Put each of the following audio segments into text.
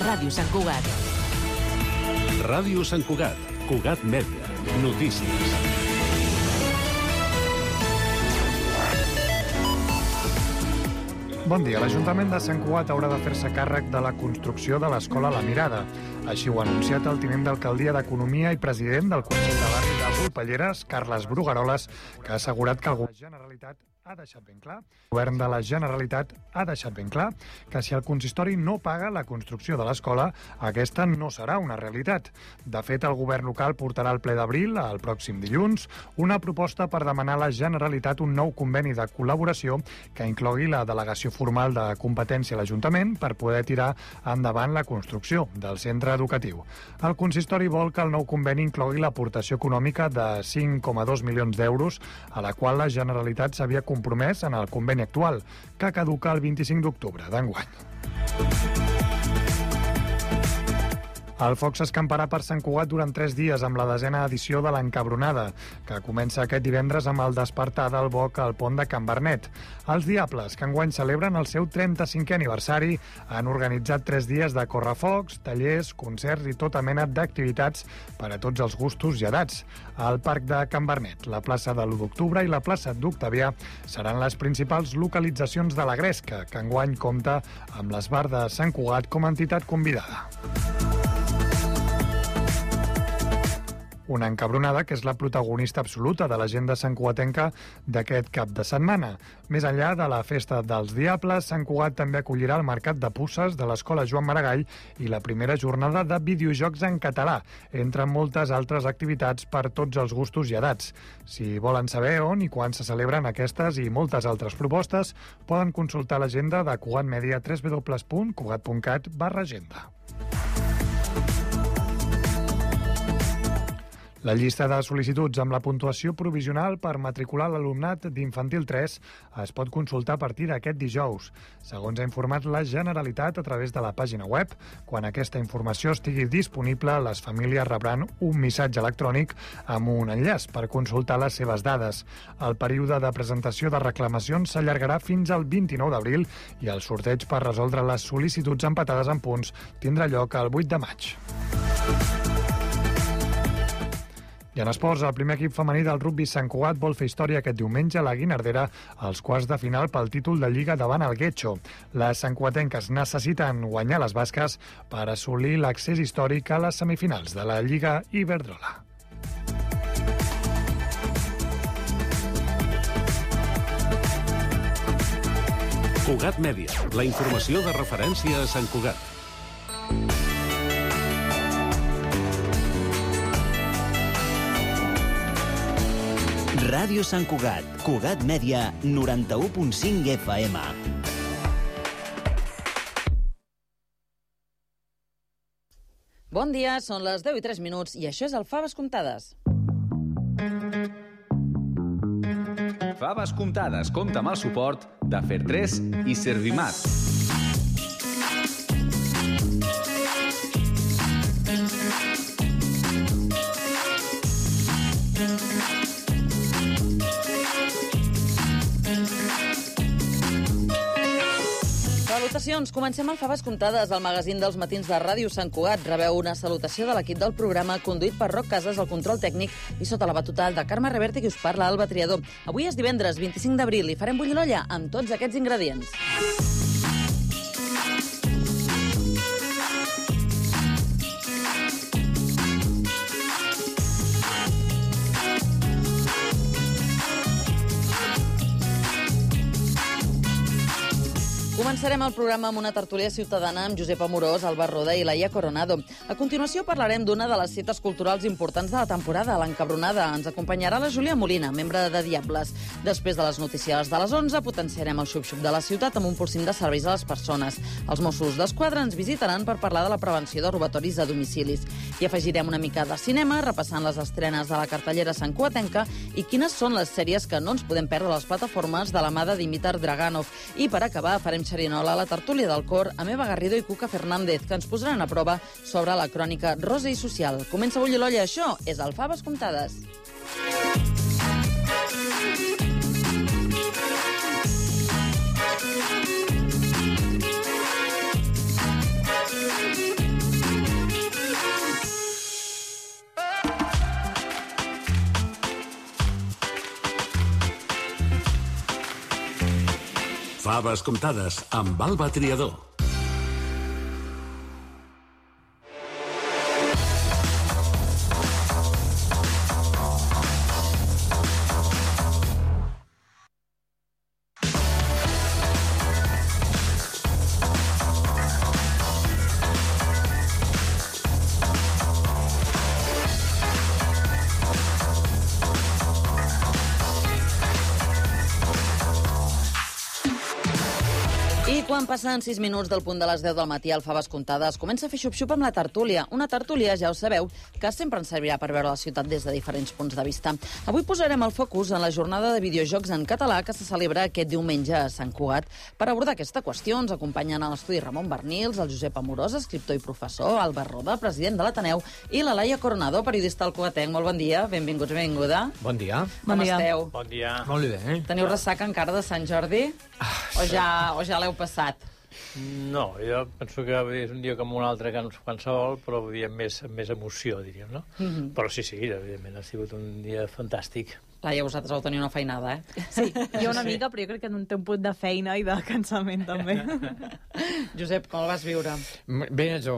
a Ràdio Sant Cugat. Ràdio Sant Cugat, Cugat Mèdia, notícies. Bon dia. L'Ajuntament de Sant Cugat haurà de fer-se càrrec de la construcció de l'Escola La Mirada. Així ho ha anunciat el tinent d'Alcaldia d'Economia i president del Consell de Barri de Volpelleres, Carles Brugaroles, que ha assegurat que el Govern de la Generalitat ha deixat ben clar que si el consistori no paga la construcció de l'escola, aquesta no serà una realitat. De fet, el govern local portarà al ple d'abril, el pròxim dilluns, una proposta per demanar a la Generalitat un nou conveni de col·laboració que inclogui la delegació formal de competència a l'Ajuntament per poder tirar endavant la construcció del centre educatiu. El consistori vol que el nou conveni inclogui l'aportació econòmica de 5,2 milions d'euros, a la qual la Generalitat s'havia compromès en el conveni actual, que caduca el 25 d'octubre d'enguany. El foc s'escamparà per Sant Cugat durant 3 dies amb la 10a edició de l'Encabronada, que comença aquest divendres amb el despertar del boc al pont de Can Bernet. Els Diables, que enguany celebren el seu 35è aniversari, han organitzat 3 dies de correfocs, tallers, concerts i tota mena d'activitats per a tots els gustos i edats. Al Parc de Can Bernet, la plaça de l'1 d'octubre i la plaça d'Octavià seran les principals localitzacions de la Gresca, que enguany compta amb l'Esbar de Sant Cugat com a entitat convidada. Una encabronada que és la protagonista absoluta de l'agenda santcugatenca d'aquest cap de setmana. Més enllà de la festa dels Diables, Sant Cugat també acollirà el Mercat de Puces de l'Escola Joan Maragall i la primera jornada de videojocs en català, entre moltes altres activitats per tots els gustos i edats. Si volen saber on i quan se celebren aquestes i moltes altres propostes, poden consultar l'agenda de Cugat Mèdia www.cugat.cat/agenda. La llista de sol·licituds amb la puntuació provisional per matricular l'alumnat d'Infantil 3 es pot consultar a partir d'aquest dijous. Segons ha informat la Generalitat a través de la pàgina web, quan aquesta informació estigui disponible, les famílies rebran un missatge electrònic amb un enllaç per consultar les seves dades. El període de presentació de reclamacions s'allargarà fins al 29 d'abril i el sorteig per resoldre les sol·licituds empatades en punts tindrà lloc el 8 de maig. I en esports, el primer equip femení del rugbi Sant Cugat vol fer història aquest diumenge a la Guinardera als quarts de final pel títol de Lliga davant el Guetxo. Les santcugatenques necessiten guanyar les basques per assolir l'accés històric a les semifinals de la Lliga Iberdrola. Cugat Mèdia, la informació de referència a Sant Cugat. Ràdio Sant Cugat, Cugat Mèdia, 91.5 FM. Bon dia, són les 10:03 i això és el Faves Comptades. Faves Comptades compta amb el suport de Fer3 i Servimat. Salutacions, comencem el Faves Comptades, el magazín dels matins de Ràdio Sant Cugat. Rebeu una salutació de l'equip del programa, conduït per Roc Casas, el control tècnic, i sota la batuta de Carme Reverte, qui us parla, Alba Triador. Avui és divendres 25 d'abril i farem bullir l'olla amb tots aquests ingredients. Començarem el programa amb una tertúlia ciutadana amb Josep Amorós, Alba Roda i Laia Coronado. A continuació parlarem d'una de les cites culturals importants de la temporada, l'Encabronada. Ens acompanyarà la Júlia Molina, membre de Diables. Després de les notícies de les 11, potenciarem el xup-xup de la ciutat amb un polsim de serveis a les persones. Els Mossos d'Esquadra ens visitaran per parlar de la prevenció de robatoris a domicilis. I afegirem una mica de cinema, repassant les estrenes de la cartellera santcugatenca i quines són les sèries que no ens podem perdre a les plataformes de la mà de Dimitar Draganov. I per acabar, farem xerinola a la tertúlia del cor amb Eva Garrido i Cuca Fernández, que ens posaran a prova sobre la crònica rosa i social. Comença a bullir l'olla, això és el Faves Comptades. Faves comptades amb Alba Triador. Quan passen 6 minuts del punt de les 10 del matí al Faves Comptades, comença a fer xup-xup amb la tertúlia. Una tertúlia, ja ho sabeu, que sempre ens servirà per veure la ciutat des de diferents punts de vista. Avui posarem el focus en la jornada de videojocs en català que se celebra aquest diumenge a Sant Cugat. Per abordar aquesta qüestió ens acompanyen a l'estudi Ramon Bernils, el Josep Amorós, escriptor i professor, Albert Roda, president de l'Ateneu, i la Laia Coronado, periodista al Cugatenc. Molt bon dia, benvinguts, benvinguda. Bon dia. Com esteu? Bon dia. Molt bé. Teniu ressaca encara de Sant Jordi? O ja l'heu passat? No, jo penso que és un dia com un altre que qualsevol, però vull dir, amb més emoció, diríem, no? Però sí, evidentment, ha sigut un dia fantàstic. Laia, vosaltres vau tenir una feinada, eh? Sí, jo una mica, però jo crec que té un punt de feina i de cansament, també. Josep, com el vas viure? Bé, jo,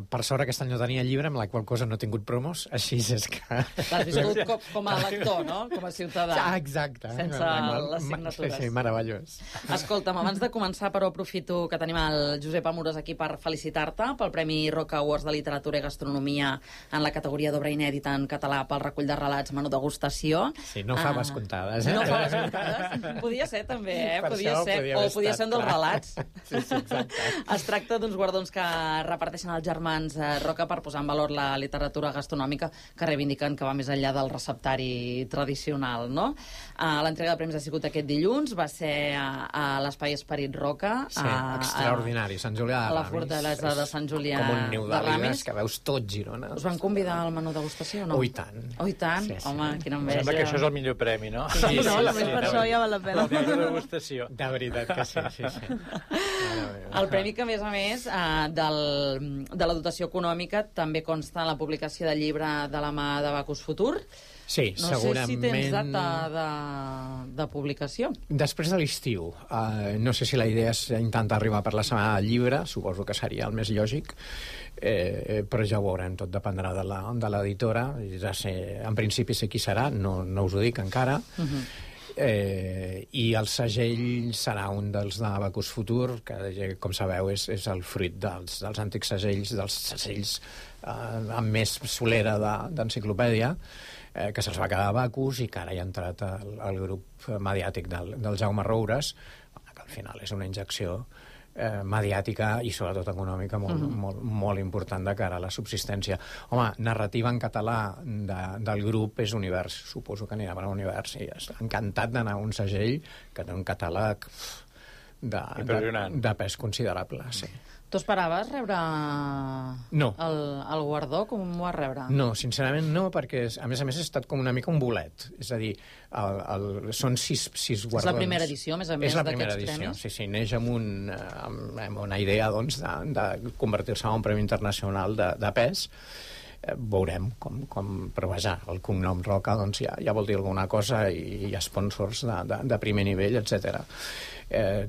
per sort, aquest any no tenia llibre, amb la qual cosa no he tingut promos, així és que... L'has viscut com a lector, no? Com a ciutadà. Ah, exacte. Sense les signatures. Sí, meravellós. Escolta'm, abans de començar, però aprofito que tenim el Josep Amorós aquí per felicitar-te pel Premi Roca Awards de Literatura i Gastronomia en la categoria d'obra inèdita en català pel recull de relats Menú Degustació. Sí, no faves comptades, eh? No faves comptades. Podia ser, també, eh? Podia ser un dels relats. Sí, exacte. Es tracta d'uns guardons que reparteixen els germans Roca per posar en valor la literatura gastronòmica que reivindiquen que va més enllà del receptari tradicional, no? L'entrega de premis ha sigut aquest dilluns, va ser a l'Espai Esperit Roca. Sí, extraordinari, Sant Julià de Ramis. A la fortalesa de Sant Julià de Ramis. Com un niu d'àligues que veus tot Girona. Us van convidar al menú degustació o no? Oh, i tant. Oh, i tant? Sí. Home, quina enveja. Sembla que això és el millor premi, no? Sí, només per això ja val la pena. La degustació. De veritat que sí. El premi que, a més, de la dotació econòmica també consta en la publicació del llibre de la mà de Bacus Futur. Sí, no segurament... sé si tens data de publicació. Després de l'estiu. No sé si la idea és intentar arribar per la setmana del llibre, suposo que seria el més lògic, però ja ho veurem, tot dependrà de l'editora. Ja sé, en principi sé qui serà, no us ho dic encara. I el segell serà un dels de Bacus Futur, que, com sabeu, és el fruit dels antics segells, dels segells amb més solera d'enciclopèdia, que se'ls va quedar a Bacus i que ara hi ha entrat el grup mediàtic del Jaume Roures, que al final és una injecció mediàtica i sobretot econòmica molt important de cara a la subsistència. Home, narrativa en català del grup és Univers, suposo que anirà per a Univers, i encantat d'anar a un segell que té un catàleg de pes considerable, sí. Tu esperaves rebre el guardó? Com ho vas rebre? No, sincerament no, perquè a més he estat com una mica un bolet. És a dir, són sis guardons. És la primera edició, més a més, d'aquests premis? Sí, neix amb una idea doncs, de convertir-se en un premi internacional de pes. Veurem però vaja, el cognom Roca doncs ja vol dir alguna cosa i hi ha sponsors de primer nivell, etc.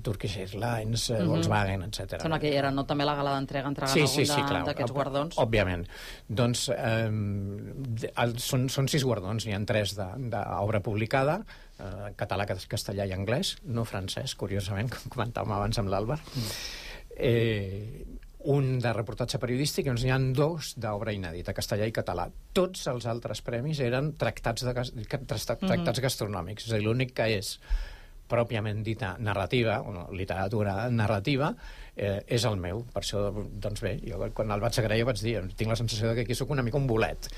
Turkish Airlines, Volkswagen, etc. Sembla que hi era, no? També la gala d'entrega algun d'aquests guardons. Òbviament. Doncs són 6 guardons, n'hi ha 3 d'obra publicada, català, castellà i anglès, no francès, curiosament, com comentàvem abans amb l'Àlvar. Un de reportatge periodístic i n'hi ha 2 d'obra inèdita, castellà i català. Tots els altres premis eren tractats gastronòmics. És a dir, l'únic que és pròpiament dita narrativa, o literatura narrativa, és el meu. Per això, doncs bé, jo quan el vaig agrair vaig dir, tinc la sensació que aquí sóc una mica un bolet.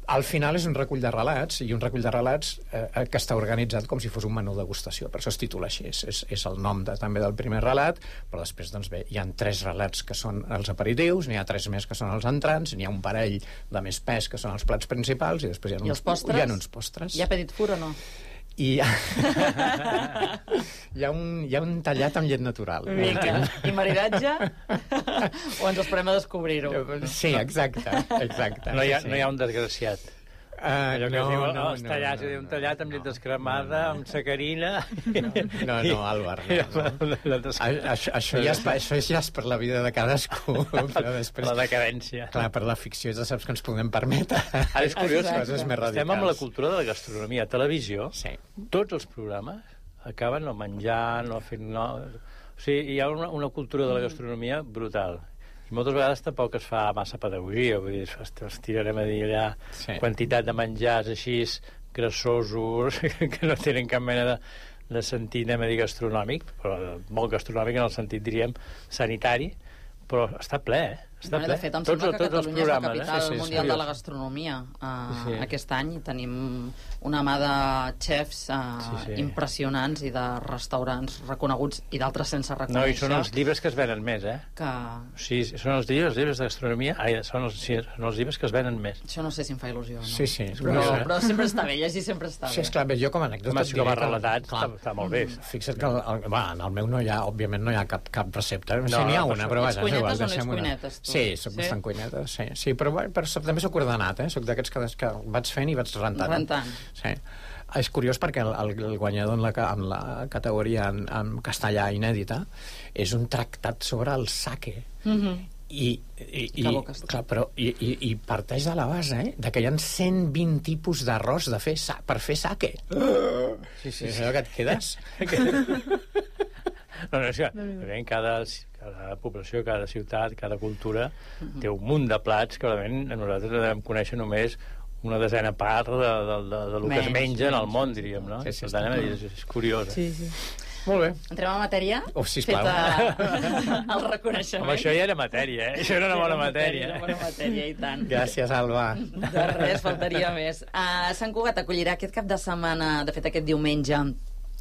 Al final és un recull de relats, i un recull de relats que està organitzat com si fos un menú degustació, per això es titula així, és el nom també del primer relat, però després, doncs bé, hi ha 3 relats que són els aperitius, n'hi ha 3 més que són els entrants, n'hi ha un parell de més pes que són els plats principals, i després hi ha uns postres. Hi ha petit fur o no? I hi ha un tallat amb llet natural. I maridatge? O ens esperem a descobrir-ho? Sí, exacte. No hi ha un desgraciat. Allò que es diu els tallats, un tallat amb llet descremada, amb sacarina... No, Álvar. Això ja és per la vida de cadascú. Però després... La decadència. Clar, per la ficció ja saps que ens podem permetre. Ara és curiós, coses més radicals. estem amb la cultura de la gastronomia. A televisió, sí. Tots els programes acaben no menjant, no fent... O sigui, hi ha una cultura de la gastronomia brutal. I moltes vegades tampoc es fa massa pedagogia, vull dir, es tirarem a dir allà quantitat de menjars així grassosos que no tenen cap mena de sentit, anem a dir, gastronòmic, però molt gastronòmic en el sentit, diríem, sanitari, però està ple, està ple. De fet, em sembla que Catalunya és la capital mundial de la gastronomia aquest any. Tenim una mà de xefs impressionants i de restaurants reconeguts i d'altres sense reconèixer. No, i són els llibres que es venen més, Sí, són els llibres de gastronomia, són els llibres que es venen més. Això no sé si em fa il·lusió, no? Sí. Però sempre està bé, llegir sempre està bé. Sí, esclar, jo com a anècdota... Com a relatat està molt bé. Fixa't que en el meu no hi ha, òbviament no hi ha cap recepta. Sí, n'hi ha una, però vaja, és igual. Ets cuinetes, tu? Sí, soc bastant cuineta, sí. Però també soc ordenat, soc d'aquests que vaig fent i vaig rentant. Sí. És curiós perquè el guanyador en la categoria en castellà inèdita és un tractat sobre el sake. I parteix de la base de que hi ha 120 tipus d'arròs per fer sake. Sí. És allò que et quedes? No, és que cada població, cada ciutat, cada cultura té un munt de plats que nosaltres devem conèixer només una desena part del que es menja en el món, diríem, no? Sí, per tant, és curiós. Sí. Molt bé. Entrem a matèria? Sisplau. El reconeixement. Home, això ja era matèria, Això era una bona matèria. Una bona matèria, i tant. Gràcies, Alba. De res, faltaria més. Sant Cugat acollirà aquest cap de setmana, de fet aquest diumenge,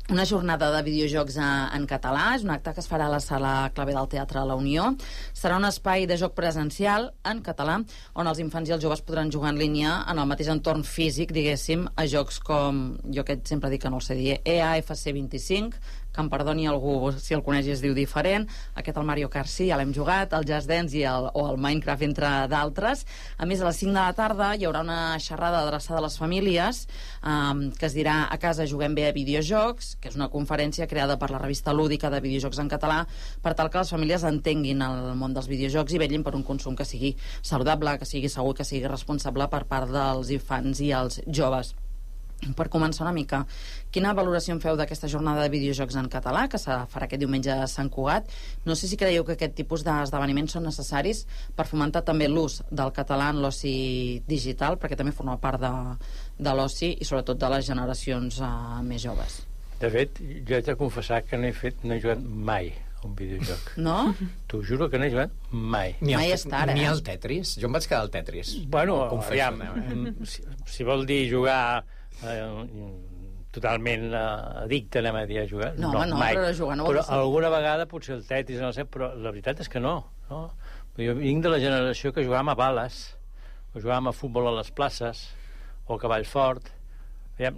una jornada de videojocs en català. És un acte que es farà a la sala Clavé del Teatre La Unió. Serà un espai de joc presencial en català on els infants i els joves podran jugar en línia en el mateix entorn físic, diguéssim, a jocs com, jo que sempre dic que no el sé dir, EAFC 25, que em perdoni algú si el coneix i es diu diferent, aquest el Mario Kart sí, ja l'hem jugat, el Just Dance o el Minecraft, entre d'altres. A més, a les 5 de la tarda hi haurà una xerrada adreçada a les famílies que es dirà A casa juguem bé a videojocs, que és una conferència creada per la revista lúdica de videojocs en català per tal que les famílies entenguin el món dels videojocs i vetllin per un consum que sigui saludable, que sigui segur, que sigui responsable per part dels infants i els joves. Per començar una mica, quina valoració en feu d'aquesta jornada de videojocs en català que se farà aquest diumenge a Sant Cugat? No sé si creieu que aquest tipus d'esdeveniments són necessaris per fomentar també l'ús del català en l'oci digital, perquè també forma part de l'oci i sobretot de les generacions més joves. De fet, jo haig de confessar que no he jugat mai un videojoc. No? T'ho juro que no he jugat mai. Mai és tard, Ni al Tetris? Jo em vaig quedar al Tetris. Bueno, aviam, si vol dir jugar totalment addicte, anem a dir, a jugar. No, mai. Però jugar no però alguna vegada potser el Tetris, no sé, però la veritat és que no. Jo vinc de la generació que jugàvem a bales, o jugàvem a futbol a les places, o a cavall fort.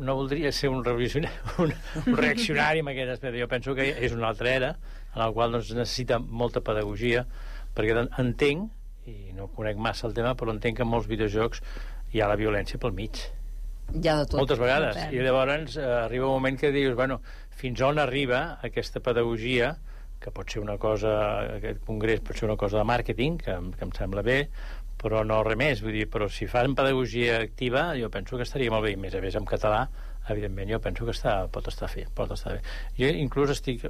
No voldria ser un reaccionari amb aquest aspecte. Jo penso que és una altra era en la qual necessita molta pedagogia, perquè entenc, i no conec massa el tema, però entenc que en molts videojocs hi ha la violència pel mig. Ja de tot. Moltes vegades. I llavors arriba un moment que dius, fins on arriba aquesta pedagogia, que pot ser una cosa, aquest congrés pot ser una cosa de màrqueting, que em sembla bé, però no res més. Vull dir, però si fan pedagogia activa, jo penso que estaria molt bé, i més a més en català, evidentment, jo penso que pot estar bé. Jo inclús estic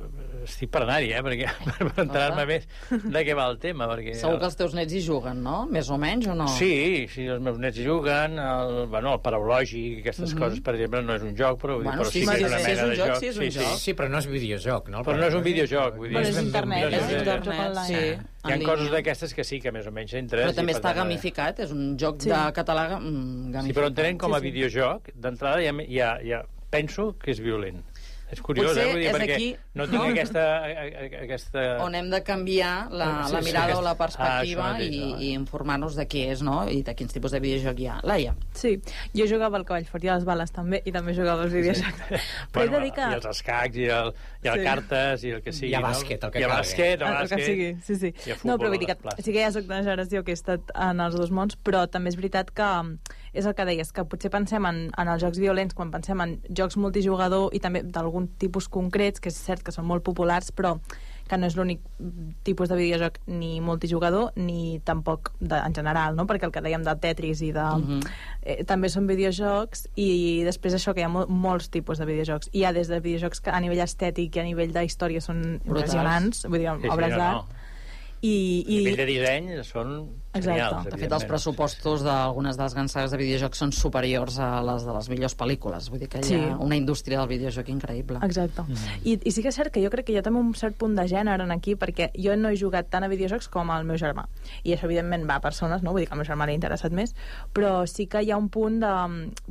per anar-hi, perquè per enterar-me més de què va el tema. Perquè segur que els teus nets hi juguen, no? Més o menys, o no? Sí, els meus nets hi juguen, el paraulògic, aquestes coses, per exemple, no és un joc, però sí que és una mena de joc. Sí, és un joc. Sí, però no és videojoc, no? Però no és un videojoc. Però és internet, és un joc online. Hi ha coses d'aquestes que sí, que més o menys entres. Però també està gamificat, és un joc de català gamificat. Sí, però entenent com a videojoc, d'entrada ja penso que és violent. És curiós, Potser vull dir, és perquè aquí, no tinc aquesta... On hem de canviar la mirada o la perspectiva i informar-nos de què és, no? I de quins tipus de videojoc hi ha. Laia. Sí, jo jugava al cavall fort i a les bales també, i també jugava als videojocs. Però he de dir que... I els escacs, i el cartes, i el que sigui. I a bàsquet, el que calgui. I a bàsquet, el que sigui, sí. No, però vull dir que sí que ja soc d'una generació que he estat en els dos mons, però també és veritat que és el que deies, que potser pensem en els jocs violents quan pensem en jocs multijugador i també d'algun tipus concrets, que és cert que són molt populars, però que no és l'únic tipus de videojoc ni multijugador ni tampoc en general, no? Perquè el que dèiem del Tetris i de... també són videojocs, i després això, que hi ha molts tipus de videojocs. Hi ha des de videojocs que a nivell estètic i a nivell d'història són impressionants, vull dir, obres d'art. I a nivell de disseny són genials. De fet, els pressupostos d'algunes de les grans sagues de videojocs són superiors a les de les millors pel·lícules. Vull dir que hi ha una indústria del videojoc increïble. Exacte. I sí que és cert que jo crec que hi ha també un cert punt de gènere aquí, perquè jo no he jugat tant a videojocs com el meu germà. I això, evidentment, va a persones, no? Vull dir que al meu germà l'ha interessat més, però sí que hi ha un punt de...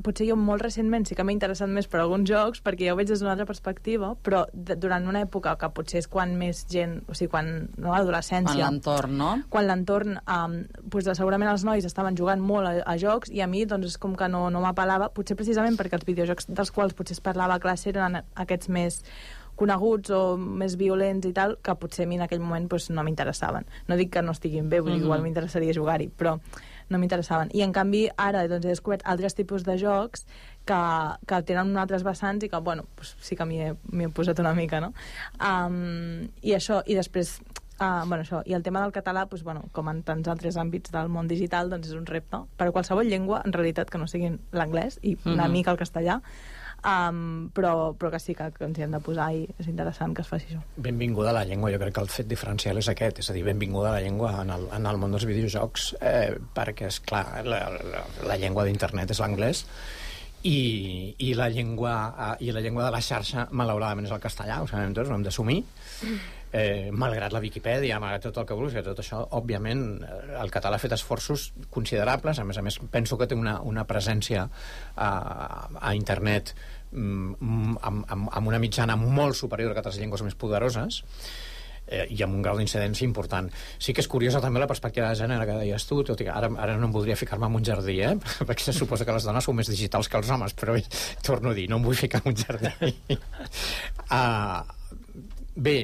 Potser jo molt recentment sí que m'he interessat més per alguns jocs, perquè ja ho veig des d'una altra perspectiva, però durant una època que potser és quan més gent... O sigui, quan... No, l'adolescència... Quan l'entorn, no? Quan l'entorn... segurament els nois estaven jugant molt a jocs i a mi doncs és com que no m'apel·lava, potser precisament perquè els videojocs dels quals potser es parlava a classe eren aquests més coneguts o més violents i tal, que potser a mi en aquell moment doncs, no m'interessaven. No dic que no estiguin bé, vull dir, igual m'interessaria jugar-hi, però no m'interessaven. I en canvi ara doncs, he descobert altres tipus de jocs que tenen altres vessants i que, bueno, doncs, sí que m'hi he posat una mica, no? I això, i després... això. I el tema del català, doncs, bueno, com en tants altres àmbits del món digital, doncs és un repte per a qualsevol llengua, en realitat, que no sigui l'anglès i una mica el castellà, però que sí que ens hi hem de posar, i és interessant que es faci això. Benvinguda a la llengua, jo crec que el fet diferencial és aquest, és a dir, benvinguda a la llengua en el món dels videojocs, perquè, és clar, la llengua d'internet és l'anglès, i la llengua de la xarxa, malauradament, és el castellà, ho sabem tots, ho hem d'assumir, malgrat la Viquipèdia, malgrat tot el que vulguis, tot això, òbviament, el català ha fet esforços considerables, a més penso que té una presència a internet amb una mitjana molt superior que altres llengües més poderoses, i amb un grau d'incidència important. Sí que és curiosa també la perspectiva de gènere que deies tu, tot i que ara no em voldria ficar-me en un jardí, perquè se suposa que les dones són més digitals que els homes, però torno a dir, no em vull ficar en un jardí. Bé,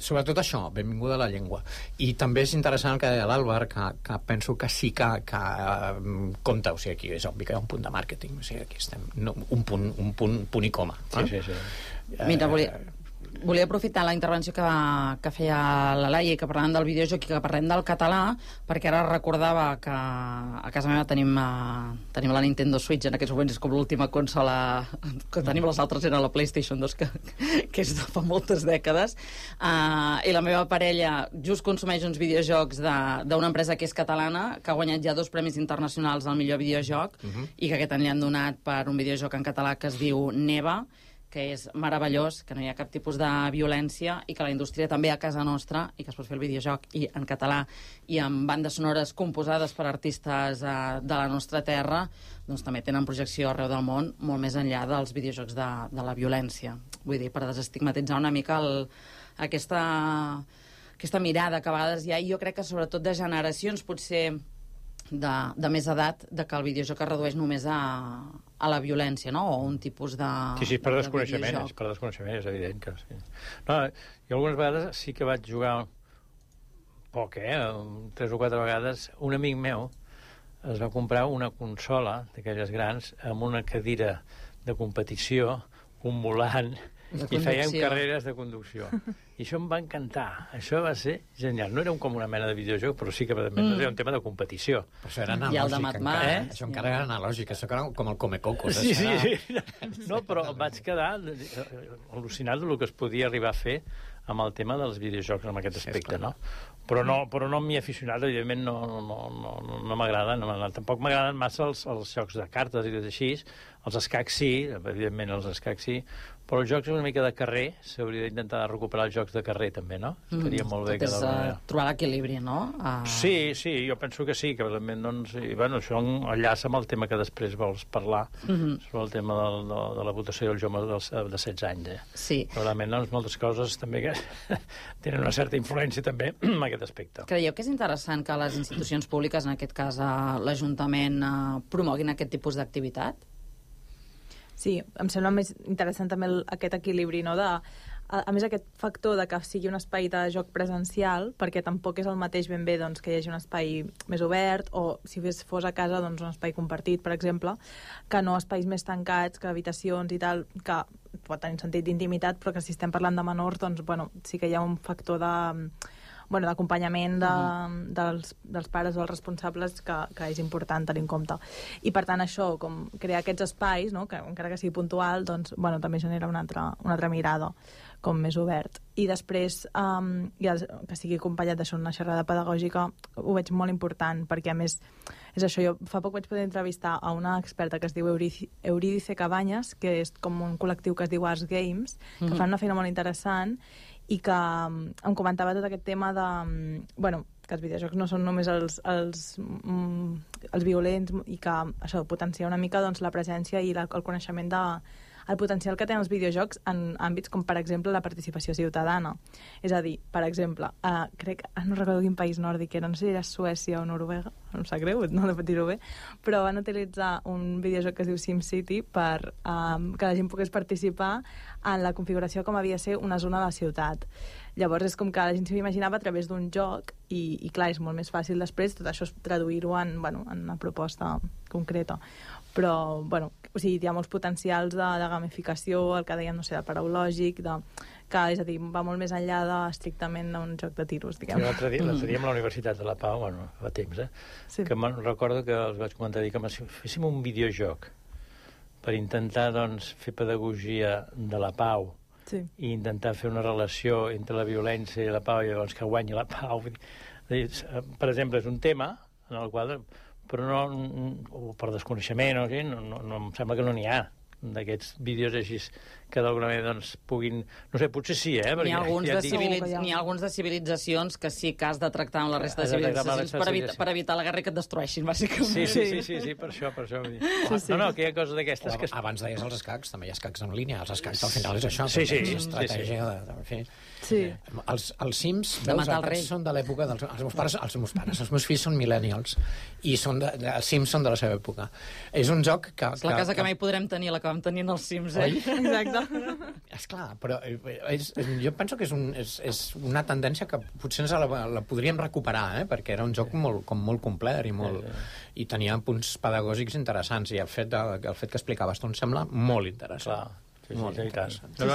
sobretot això, benvinguda a la llengua. I també és interessant el que deia l'Àlvar, que penso que sí que compta, o sigui, aquí és obvi que hi ha un punt de màrqueting, o sigui, aquí estem, un punt i coma. Sí. Mira, volia aprofitar la intervenció que feia la Laia, que parlàvem del videojoc i que parlem del català, perquè ara recordava que a casa meva tenim la Nintendo Switch, en aquests moments és com l'última consola que tenim, les altres eren la PlayStation 2, que és de fa moltes dècades, i la meva parella just consumeix uns videojocs d'una empresa que és catalana, que ha guanyat ja 2 premis internacionals al millor videojoc, i que aquest any li han donat per un videojoc en català que es diu Neva, que és meravellós, que no hi ha cap tipus de violència i que la indústria també a casa nostra, i que es pot fer el videojoc i en català i amb bandes sonores composades per artistes de la nostra terra, doncs també tenen projecció arreu del món, molt més enllà dels videojocs de la violència. Vull dir, per desestigmatitzar una mica aquesta mirada que a vegades hi ha, i jo crec que sobretot de generacions potser de més edat, de que el videojoc es redueix només a la violència, no? O un tipus de... Sí, per desconeixement, és evident que sí. No, jo algunes vegades sí que vaig jugar poc, 3 o 4 vegades. Un amic meu es va comprar una consola d'aquelles grans amb una cadira de competició, un volant, i fèiem carreres de conducció. I això em va encantar. Això va ser genial. No era com una mena de videojoc, però sí que era un tema de competició. Però això era analògic, encara. Això encara era analògic. Això era com el Comecocos. Sí. No, però vaig quedar al·lucinat del que es podia arribar a fer amb el tema dels videojocs en aquest aspecte, no? Però no m'hi he aficionat, evidentment no m'agraden, tampoc m'agraden massa els jocs de cartes i tot així, els escacs sí, evidentment els escacs sí, Però els jocs una mica de carrer, s'hauria d'intentar recuperar els jocs de carrer, també, no? Estaria molt bé. Tot és trobar l'equilibri, no? Sí, jo penso que sí, que realment, doncs, i, bueno, això enllaça amb el tema que després vols parlar, sobre el tema de la votació dels joves de 16 anys. Sí. Realment, doncs, moltes coses també que tenen una certa influència també en aquest aspecte. Creieu que és interessant que les institucions públiques, en aquest cas l'Ajuntament, promoguin aquest tipus d'activitat? Sí, em sembla més interessant també aquest equilibri, no? A més, aquest factor de que sigui un espai de joc presencial, perquè tampoc és el mateix ben bé doncs, que hi hagi un espai més obert, o si fos a casa doncs, un espai compartit, per exemple, que no espais més tancats, que habitacions i tal, que pot tenir un sentit d'intimitat, però que si estem parlant de menors, doncs, bueno, sí que hi ha un factor d'acompanyament dels pares o els responsables que és important tenir en compte. I per tant això, com crear aquests espais, no? Que encara que sigui puntual, doncs, bueno, també genera una altra mirada com més obert. I després, que sigui acompanyat d'això, una xerrada pedagògica, ho veig molt important, perquè a més és això, jo fa poc vaig poder entrevistar a una experta que es diu Eurídice Cabanyes, que és com un col·lectiu que es diu Arts Games, que fan una feina molt interessant i que em comentava tot aquest tema de... Bueno, que els videojocs no són només els violents i que això potencia una mica doncs, la presència i el coneixement el potencial que tenen els videojocs en àmbits com, per exemple, la participació ciutadana. És a dir, per exemple, no recordo quin país nòrdic era, no sé si era Suècia o Noruega, no em sap greu, no he de dir-ho bé, però van utilitzar un videojoc que es diu SimCity per que la gent pogués participar en la configuració com havia de ser una zona de la ciutat. Llavors és com que la gent s'ho imaginava a través d'un joc i clar, és molt més fàcil després tot això traduir-ho en una proposta concreta. Però, bueno, o sigui, hi ha molts potencials de gamificació, el que dèiem, no sé, de paraulògic, que, és a dir, va molt més enllà estrictament d'un joc de tiros, diguem. Sí, l'altre dia amb la Universitat de la Pau, bueno, fa temps, sí. Que recordo que els vaig comentar que féssim un videojoc per intentar, doncs, fer pedagogia de la pau, sí, i intentar fer una relació entre la violència i la pau, i llavors que guanyi la pau. Per exemple, és un tema en el qual, però no per desconeixement, no em sembla que no n'hi ha d'aquests vídeos així que d'alguna manera doncs, puguin... No sé, potser sí, N'hi ha alguns de civilitzacions que sí que has de tractar amb la resta de civilitzacions per evitar la guerra i que et destrueixin, bàsicament. Sí, per això. No, que hi ha coses d'aquestes... Abans deies els escacs, també hi ha escacs en línia. Els escacs al final és això. Sí. Estratègia de fer... Sí. Els Sims, veus, són de l'època dels els meus fills són millennials i els Sims són de la seva època. És un joc que... És la casa que mai podrem tenir, la que vam tenir en els Sims, Exacte. Esclar, però jo penso que és una tendència que potser la podríem recuperar, perquè era un joc molt complet i tenia punts pedagògics interessants, i el fet que explicaves tu em sembla molt interessant. No,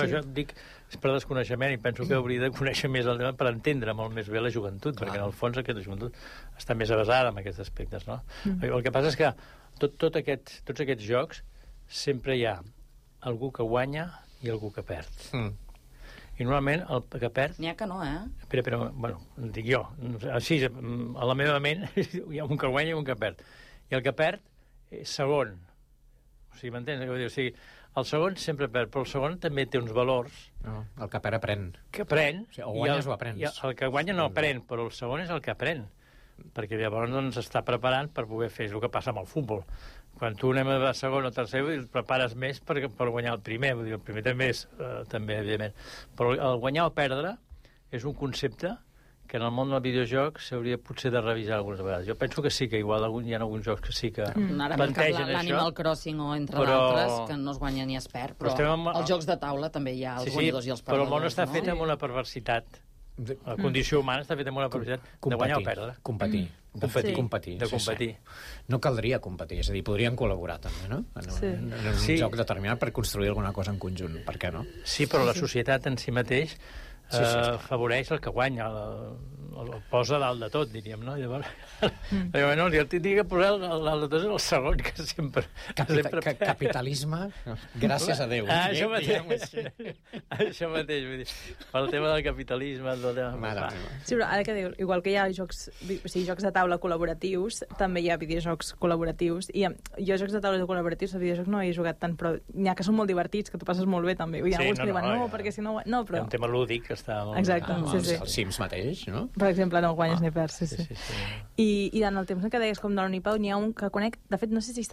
jo dic, és per desconeixement, i penso que hauria de conèixer més el tema per entendre molt més bé la joventut, perquè en el fons aquesta joventut està més avasada en aquests aspectes, no? El que passa és que tots aquests jocs sempre hi ha algú que guanya i algú que perd. I normalment el que perd... N'hi ha que no, Però, bueno, dic jo, així, a la meva ment hi ha un que guanya i un que perd. I el que perd és segon. O sigui, m'entens? O sigui, el segon sempre perd, però el segon també té uns valors. No, el que perd aprèn. Que aprèn. O sigui, o guanyes o aprens. El que guanya no aprèn, però el segon és el que aprèn. Perquè llavors doncs, està preparant per poder fer el que passa amb el futbol. Quan tu anem a segon o tercer, et prepares més per guanyar el primer. Vull dir, el primer també és, evidentment. Però el guanyar o perdre és un concepte que en el món del videojoc s'hauria potser de revisar algunes vegades. Jo penso que sí, que igual hi ha alguns jocs que sí que plantegen això. L'Animal Crossing o entre d'altres, que no es guanya ni es perd, però els jocs de taula també hi ha els guanyadors i els perdedors. Però el món està fet amb una perversitat. La condició humana està feta amb una perversitat de guanyar o perdre. Competir. Sí. No caldria competir, és a dir, podrien col·laborar també, no? En un joc determinat per construir alguna cosa en conjunt, per què no? Sí, però la societat en si mateix favoreix el que guanya. el posa dalt de tot, diríem, no? Llavors, no, jo tinc que posar dalt de tot el segon, que sempre... Capitalisme, gràcies a Déu. Això mateix, vull dir, pel tema del capitalisme... Sí, però ara que dius, igual que hi ha jocs de taula col·laboratius, també hi ha videojocs col·laboratius, i jo jocs de taula col·laboratius, a videojocs no he jugat tant, però n'hi ha que són molt divertits, que tu passes molt bé, també. Hi ha alguns que diuen, perquè si no... No, però... Un tema lúdic que està molt... Exacte, sí. Els Sims mateix, no? Per exemple, no guanyes ni perds, sí. I en el temps que deies com de l'Unipau, n'hi ha un que conec, de fet, no sé si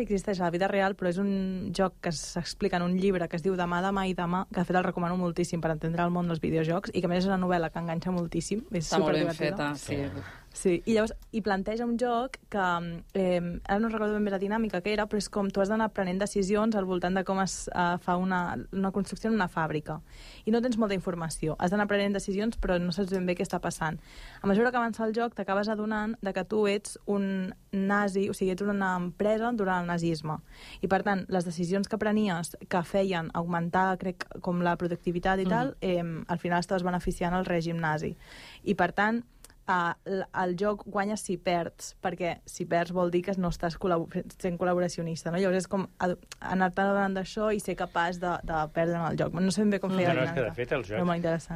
existeix a la vida real, però és un joc que s'explica en un llibre que es diu Demà, demà i demà, que de fet el recomano moltíssim per entendre el món dels videojocs, i que a més és una novel·la que enganxa moltíssim, és superdivertida. Està molt ben feta, sí. Sí, i llavors hi planteja un joc que ara no recordo ben bé la dinàmica que era, però és com tu has d'anar prenent decisions al voltant de com es fa una construcció en una fàbrica. I no tens molta informació. Has d'anar prenent decisions, però no saps ben bé què està passant. A mesura que avança el joc, t'acabes adonant de que tu ets un nazi, o sigui, ets una empresa durant el nazisme. I, per tant, les decisions que prenies que feien augmentar, crec, com la productivitat i tal, al final estaves beneficiant el règim nazi. I, per tant, el joc guanya si perds, perquè si perds vol dir que no estàs sent col·laboracionista, no? Llavors és com anar-te adonant d'això i ser capaç de perdre en el joc. No sé ben bé com feia la dinàmica. És que, de fet, el joc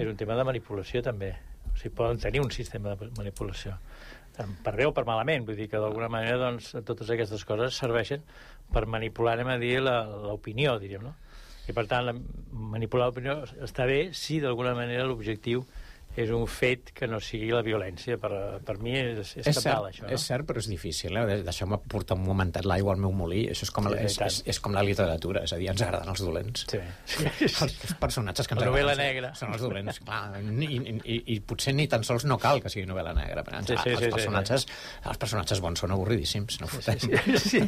és un tema de manipulació, també. O sigui, poden tenir un sistema de manipulació. Per bé o per malament, vull dir que d'alguna manera doncs, totes aquestes coses serveixen per manipular, anem a dir, l'opinió, diríem, no? I, per tant, manipular l'opinió està bé si d'alguna manera l'objectiu és un fet que no sigui la violència. Per mi és cabdal, això. No? És cert, però és difícil. Deixeu-me portar un momentet l'aigua al meu molí. Això és com la literatura, és a dir, ens agraden els dolents. Sí. Els personatges que ens agraden. La novel·la negra. Són els dolents, clar. I potser ni tan sols no cal que sigui novel·la negra. Els personatges bons són avorridíssims, no fotem. Sí.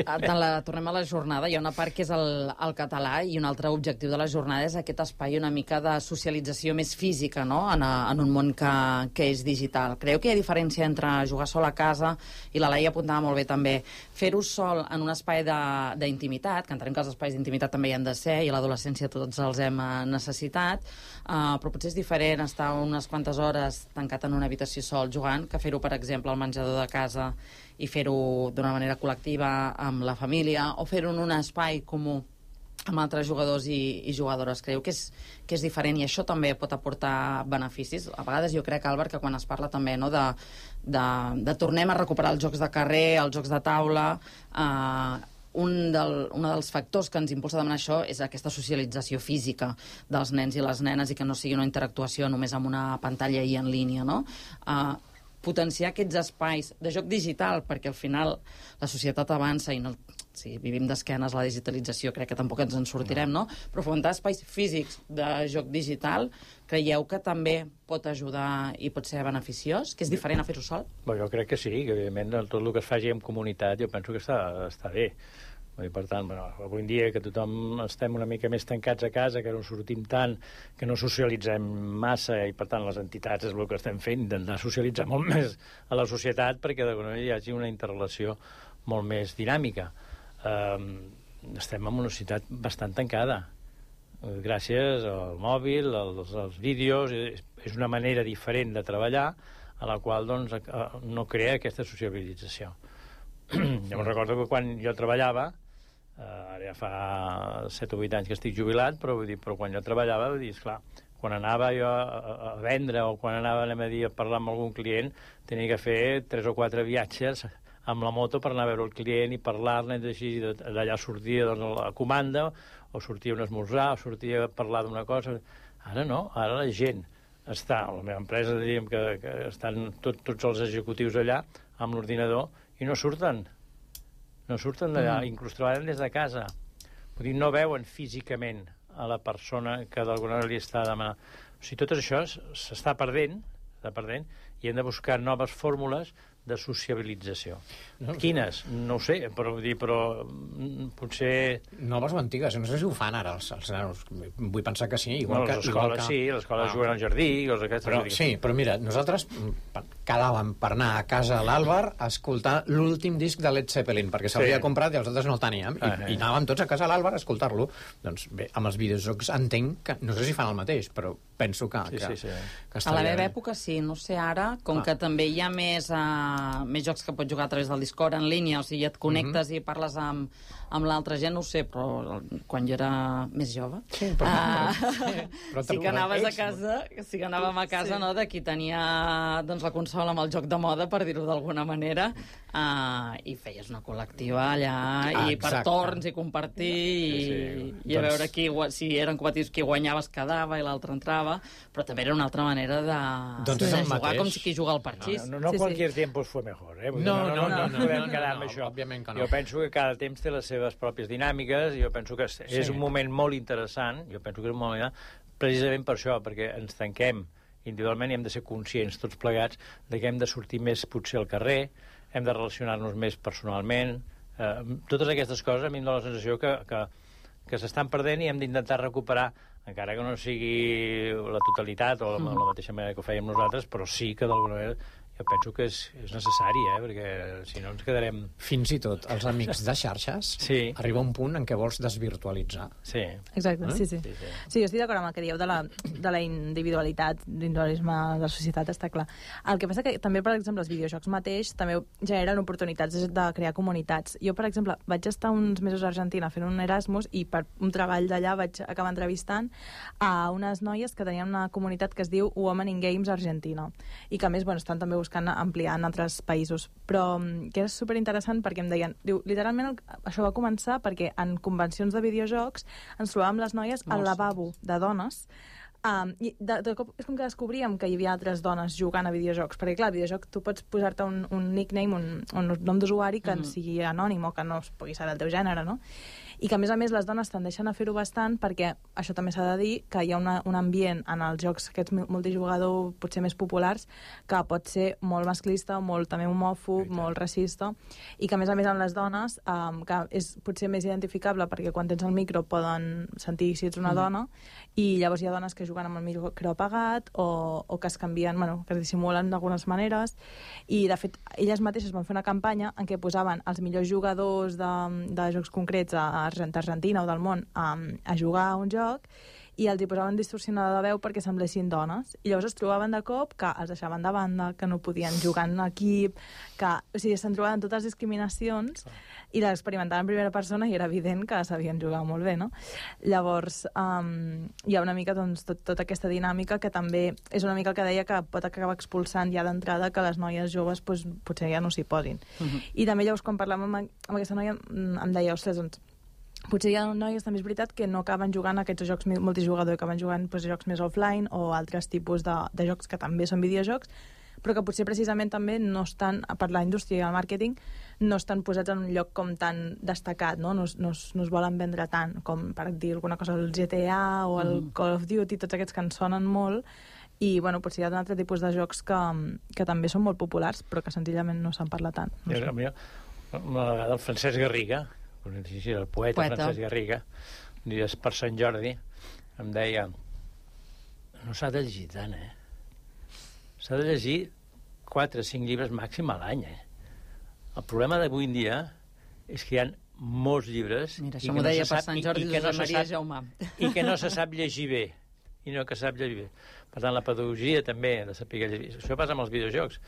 Tornem a la jornada. Hi ha una part que és el català i un altre objectiu de la jornada és aquest espai una mica de socialització més física, no? En un món que és digital. Creu que hi ha diferència entre jugar sol a casa, i la Laia apuntava molt bé també, fer-ho sol en un espai d'intimitat, que entenem que els espais d'intimitat també hi han de ser, i a l'adolescència tots els hem necessitat, però potser és diferent estar unes quantes hores tancat en una habitació sol jugant que fer-ho, per exemple, al menjador de casa i fer-ho d'una manera col·lectiva amb la família, o fer-ho en un espai comú amb altres jugadors i jugadores. Creu que és diferent, i això també pot aportar beneficis. A vegades jo crec, Àlvar, que quan es parla també, no, de tornem a recuperar els jocs de carrer, els jocs de taula, un dels factors que ens impulsa a demanar això és aquesta socialització física dels nens i les nenes, i que no sigui una interactuació només amb una pantalla i en línia, no? Potenciar aquests espais de joc digital, perquè al final la societat avança i no... Si vivim d'esquenes a la digitalització, crec que tampoc ens en sortirem, no? Però fomentar espais físics de joc digital, creieu que també pot ajudar i pot ser beneficiós? Que és diferent a fer-ho sol? Jo crec que sí, que evidentment tot el que es faci en comunitat jo penso que està bé. I per tant, avui en dia que tothom estem una mica més tancats a casa, que no sortim tant, que no socialitzem massa, i per tant les entitats és el que estem fent, intentar socialitzar molt més a la societat perquè d'alguna manera hi hagi una interrelació molt més dinàmica. Estem en una societat bastant tancada gràcies al mòbil, als vídeos. És una manera diferent de treballar a la qual doncs, no crea aquesta sociabilització. Jo me'n recordo que quan jo treballava, ara ja fa 7 o 8 anys que estic jubilat, però quan jo treballava, esclar, quan anava jo a vendre o quan anava a parlar amb algun client, tenia que fer 3 o 4 viatges amb la moto per anar a veure el client i parlar-ne, i d'allà sortia la comanda, o sortia un esmorzar, o sortia a parlar d'una cosa. Ara no, ara la gent està, a la meva empresa diríem que estan tots els executius allà amb l'ordinador i no surten d'allà, inclús treballen des de casa. Vull dir, no veuen físicament a la persona que d'alguna manera li està demanant. O sigui, tot això s'està perdent, i hem de buscar noves fórmules de sociabilització. Quines? No ho sé, però potser... Noves o antigues, no sé si ho fan ara els nanos. Vull pensar que sí. Igual les escoles sí, les escoles juguen al jardí, coses aquestes. Sí, però mira, nosaltres quedàvem per anar a casa a l'Àlvar a escoltar l'últim disc de Led Zeppelin, perquè s'havia comprat i els altres no el teníem, i anàvem tots a casa a l'Àlvar a escoltar-lo. Doncs bé, amb els videojocs entenc que, no sé si fan el mateix, però penso que a la meva època sí, no sé ara, com que també hi ha més jocs que pots jugar a través del Discord en línia, o sigui, et connectes i parles amb l'altra gent, no ho sé, però quan jo era més jove sí que anaves a casa, anàvem a casa no, de qui tenia doncs, la consola amb el joc de moda, per dir-ho d'alguna manera, i feies una col·lectiva allà, i per torns i compartir i a veure si eren competitius, qui guanyava es quedava i l'altre entrava, però també era una altra manera de jugar com si qui juga al parxís. No cualquier tiempo fue mejor, eh? No podem quedar amb això. Jo penso que cada temps té les seves pròpies dinàmiques, jo penso que és un moment molt interessant, precisament per això, perquè ens tanquem individualment i hem de ser conscients tots plegats de que hem de sortir més potser al carrer, hem de relacionar-nos més personalment, totes aquestes coses a mi em dóna la sensació que s'estan perdent i hem d'intentar recuperar, encara que no sigui la totalitat o la mateixa manera que ho fèiem nosaltres, però sí que d'alguna manera jo penso que és necessari, perquè si no ens quedarem... Fins i tot els amics de xarxes arriba un punt en què vols desvirtualitzar. Sí. Exacte, sí, jo estic d'acord amb el que dieu de la individualitat, l'individualisme de la societat, està clar. El que passa que també, per exemple, els videojocs mateix també generen oportunitats de crear comunitats. Jo, per exemple, vaig estar uns mesos a Argentina fent un Erasmus i per un treball d'allà vaig acabar entrevistant a unes noies que tenien una comunitat que es diu Women in Games Argentina i que, a més, estan també buscant ampliar en altres països, però que és superinteressant perquè em deien, literalment això va començar perquè en convencions de videojocs ens trobàvem les noies al lavabo de dones i de cop és com que descobríem que hi havia altres dones jugant a videojocs, perquè clar, al videojoc tu pots posar-te un nickname, un nom d'usuari que sigui anònim o que no es pugui saber el teu gènere, no? I que, a més, les dones tendeixen a fer-ho bastant perquè, això també s'ha de dir, que hi ha un ambient en els jocs aquests multijugador potser més populars que pot ser molt masclista, molt també homòfob, molt racista, i que, a més, en les dones, que és potser més identificable perquè quan tens el micro poden sentir si ets una dona, i llavors hi ha dones que juguen amb el micro apagat o que es canvien, que es dissimulen d'algunes maneres, i, de fet, elles mateixes van fer una campanya en què posaven els millors jugadors de jocs concrets d'Argentina o del món a jugar a un joc i els hi posaven distorsionada de veu perquè semblessin dones. I llavors es trobaven de cop que els deixaven de banda, que no podien jugar en equip, o sigui, se'n trobaven totes les discriminacions i l'experimentaven en primera persona i era evident que sabien jugar molt bé, no? Llavors, hi ha una mica tota aquesta dinàmica que també és una mica el que deia que pot acabar expulsant ja d'entrada que les noies joves potser ja no s'hi posin. I també llavors quan parlàvem amb aquesta noia em deia, ostres, doncs potser hi ha noies, també és veritat, que no acaben jugant aquests jocs multijugador, que acaben jugant jocs més offline o altres tipus de jocs que també són videojocs, però que potser precisament també no estan, per la indústria i el màrqueting, no estan posats en un lloc com tan destacat, no es volen vendre tant, com per dir alguna cosa, el GTA o el Call of Duty, tots aquests que ens sonen molt, i potser hi ha un altre tipus de jocs que també són molt populars, però que senzillament no se'n parla tant. Una vegada el Francesc Garriga, el poeta Francesc Garriga, dies per Sant Jordi, em deia, no s'ha de llegir tant, s'ha de llegir 4 o 5 llibres màxim a l'any, El problema d'avui en dia és que hi ha molts llibres i que no se sap llegir bé. Per tant, la pedagogia també ha de saber llegir. Això passa amb els videojocs.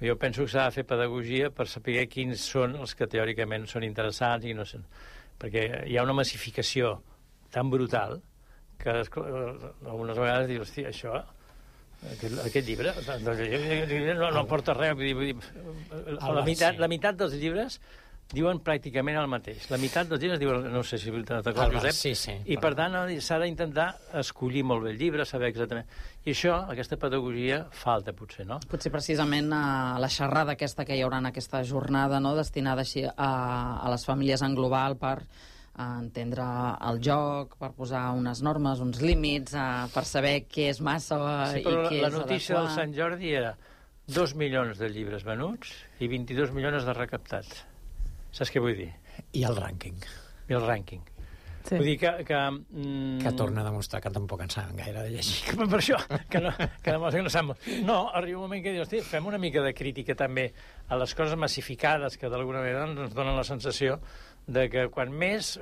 Jo penso que s'ha de fer pedagogia per saber quins són els que teòricament són interessants i no són. Perquè hi ha una massificació tan brutal que algunes vegades dius, hòstia, això, aquest llibre no aporta res. La meitat dels llibres diuen pràcticament el mateix. La meitat dels llibres diuen, no sé si t'acordes, Josep, i per tant s'ha d'intentar escollir molt bé el llibre, saber exactament. I això, aquesta pedagogia, falta potser, no? Potser precisament a la xerrada aquesta que hi haurà en aquesta jornada, no?, destinada així a les famílies en global per entendre el joc, per posar unes normes, uns límits, per saber què és massa i què és adequat. La notícia del Sant Jordi era 2 milions de llibres venuts i 22 milions de recaptats. Saps què vull dir? I el rànquing. I el rànquing. Sí. Vull dir que torna a demostrar que tampoc en saben gaire de llegir. Per això, que demostra que no saben. No, arriba un moment que dius, fem una mica de crítica també a les coses massificades que d'alguna manera ens donen la sensació de que quan més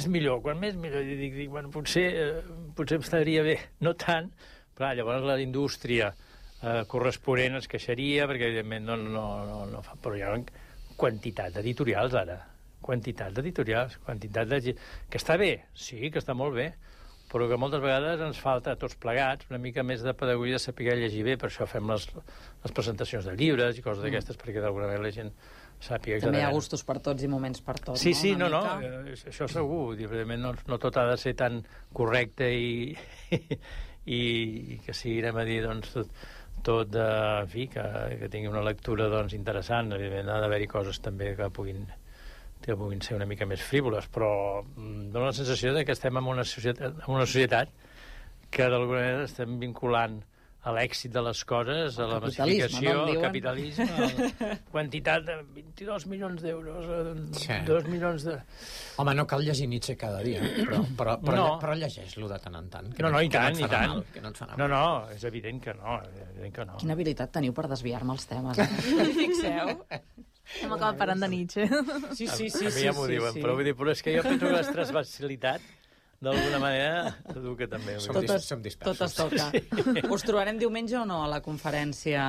millor. I dic, bueno, potser estaria bé, no tant, però llavors la indústria corresponent es queixaria, perquè evidentment no fa... Però hi ha quantitat d'editorials, ara. Quantitat d'editorials, que està bé, sí, que està molt bé, però que moltes vegades ens falta a tots plegats una mica més de pedagogia, de saber llegir bé, per això fem les presentacions de llibres i coses d'aquestes, perquè d'alguna manera la gent sàpiga... També hi ha gustos per tots i moments per tots, sí, no? No, això segur. Evidentment no tot ha de ser tan correcte i que sigui, anem a dir, doncs, tot en fi, que tingui una lectura doncs, interessant. Evidentment ha d'haver-hi coses també que puguin ser una mica més frívoles, però dona la sensació de que estem en una societat que d'alguna manera estem vinculant a l'èxit de les coses, a la massificació, al capitalisme, quantitat de 22 milions d'euros, 2 milions de... Home, no cal llegir Nietzsche cada dia, però llegeix-lo de tant en tant. No, i tant. No, és evident que no. Quina habilitat teniu per desviar-me els temes. Fixeu. Hem acabat parlant de Nietzsche. Sí. A mi ja m'ho diuen, però és que jo penso que la transversalitat d'alguna manera educa també. Som dispersos. Tot es toca. Sí. Us trobarem diumenge o no a la conferència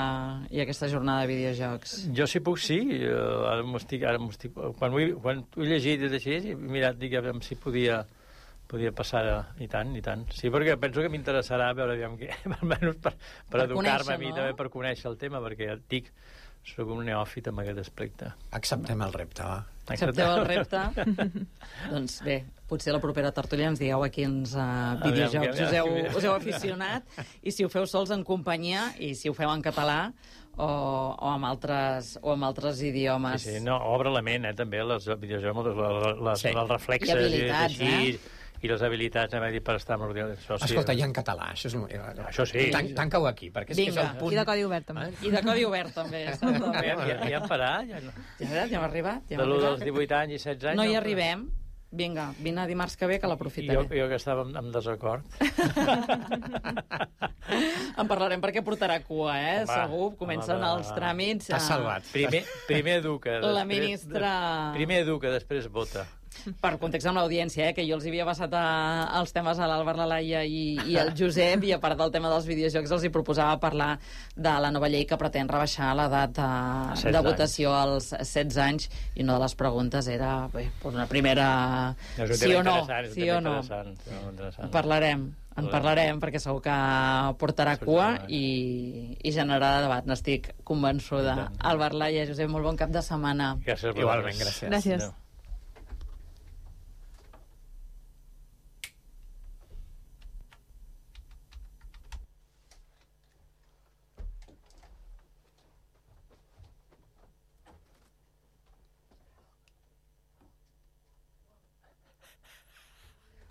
i aquesta jornada de videojocs? Jo, si puc, sí. Ara m'ho estic... Quan ho he llegit i així, he mirat, dic, si podia passar i tant. Sí, perquè penso que m'interessarà veure què, almenys per educar-me a mi també, per conèixer el tema, perquè ja et dic, soc un neòfit amb aquest aspecte. Acceptem el repte, va. Accepteu el repte? Doncs bé, potser la propera tertúlia ens digueu a quins videojocs us heu aficionat, i si ho feu sols en companyia, i si ho feu en català o amb altres idiomes. Sí, no, obre la ment, també, els videojocs, els reflexes. I habilitats, i les habilitats, per estar amb l'ordinador. Escolta, i en català, això és... Això sí. Tanca-ho aquí, perquè és que és el punt... I de codi obert, també. I de codi obert, també. Ja hem parat? Ja hem arribat. De l'1 dels 18 anys i 16 anys... No hi arribem. Vinga, vine dimarts que ve, que l'aprofitaré. Jo que estava en desacord. En parlarem perquè portarà cua, segur. Comencen els tràmits. T'has salvat. Primer educa. La ministra... Primer educa, després vota. Per context amb l'audiència, que jo els havia passat els temes a l'Àlvar, la Laia i el Josep, i a part del tema dels videojocs els hi proposava parlar de la nova llei que pretén rebaixar l'edat de votació als 16 anys, i una de les preguntes era una primera sí o no. En parlarem perquè segur que portarà cua i generarà debat, n'estic convençuda. Àlvar, Laia, Josep, molt bon cap de setmana. Igualment, gràcies.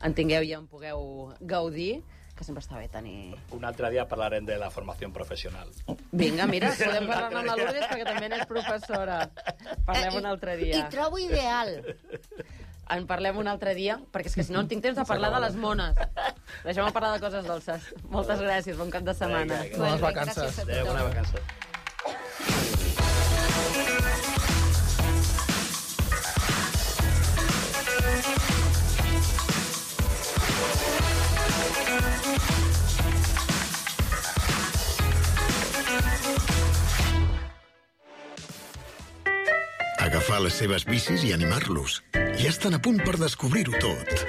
En tingueu i en pugueu gaudir, que sempre està bé tenir... Un altre dia parlarem de la formació professional. Vinga, mira, podem parlar amb la Lourdes perquè també n'és professora. Parlem un altre dia. I trobo ideal. En parlem un altre dia, perquè és que si no tinc temps de parlar de les mones. Deixem-me parlar de coses dolces. Moltes gràcies, bon cap de setmana. Bones vacances. Adéu, bona vacances. Agafar les seves bicis i animar-los. Ja estan a punt per descobrir-ho tot.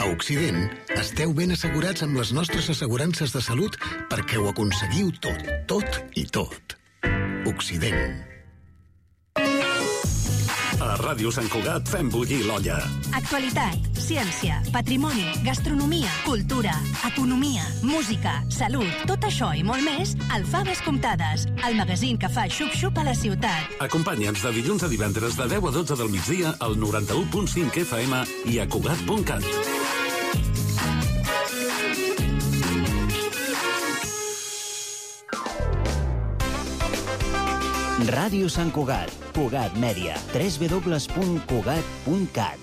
A Occident, esteu ben assegurats amb les nostres assegurances de salut perquè ho aconseguiu tot i tot. Occident. A Ràdio Sant Cugat fem bullir l'olla. Actualitat, ciència, patrimoni, gastronomia, cultura, economia, música, salut, tot això i molt més al Faves Comptades, el magazín que fa xup-xup a la ciutat. Acompanya'ns de dilluns a divendres de 10 a 12 del migdia al 91.5 FM i a Cugat.cat. Ràdio Sant Cugat, Cugat Mèdia, www.cugat.cat.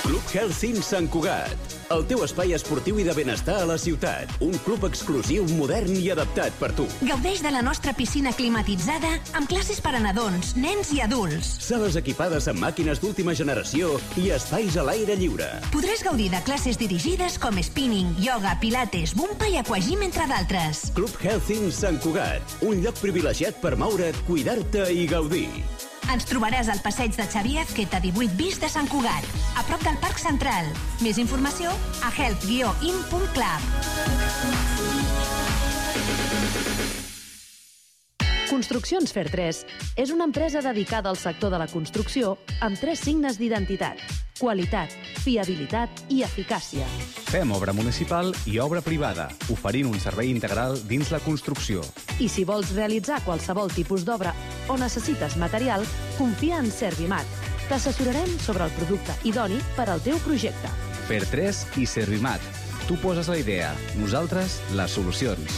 Club Healthy Sant Cugat, el teu espai esportiu i de benestar a la ciutat. Un club exclusiu, modern i adaptat per tu. Gaudeix de la nostra piscina climatitzada amb classes per a nadons, nens i adults. Sales equipades amb màquines d'última generació i espais a l'aire lliure. Podràs gaudir de classes dirigides com spinning, yoga, pilates, bumpa i aquagym, entre d'altres. Club Healthy Sant Cugat, un lloc privilegiat per moure't, cuidar-te i gaudir. Ens trobaràs al passeig de Xavier Azqueta 18 bis de Sant Cugat, a prop del Parc Central. Més informació a health-in.club. Construccions Fer3 és una empresa dedicada al sector de la construcció amb 3 signes d'identitat: qualitat, fiabilitat i eficàcia. Fem obra municipal i obra privada, oferint un servei integral dins la construcció. I si vols realitzar qualsevol tipus d'obra o necessites material, confia en Servimat. T'assessorarem sobre el producte idoni per al teu projecte. Fer3 i Servimat. Tu poses la idea, nosaltres les solucions.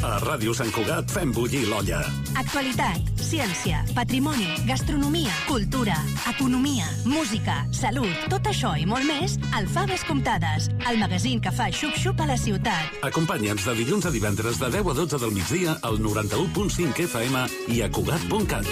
A Ràdio Sant Cugat fem bullir l'olla. Actualitat, ciència, patrimoni, gastronomia, cultura, economia, música, salut, tot això i molt més al Faves Comptades, el magazín que fa xup-xup a la ciutat. Acompanya'ns de dilluns a divendres de 10 a 12 del migdia al 91.5 FM i a Cugat.cat.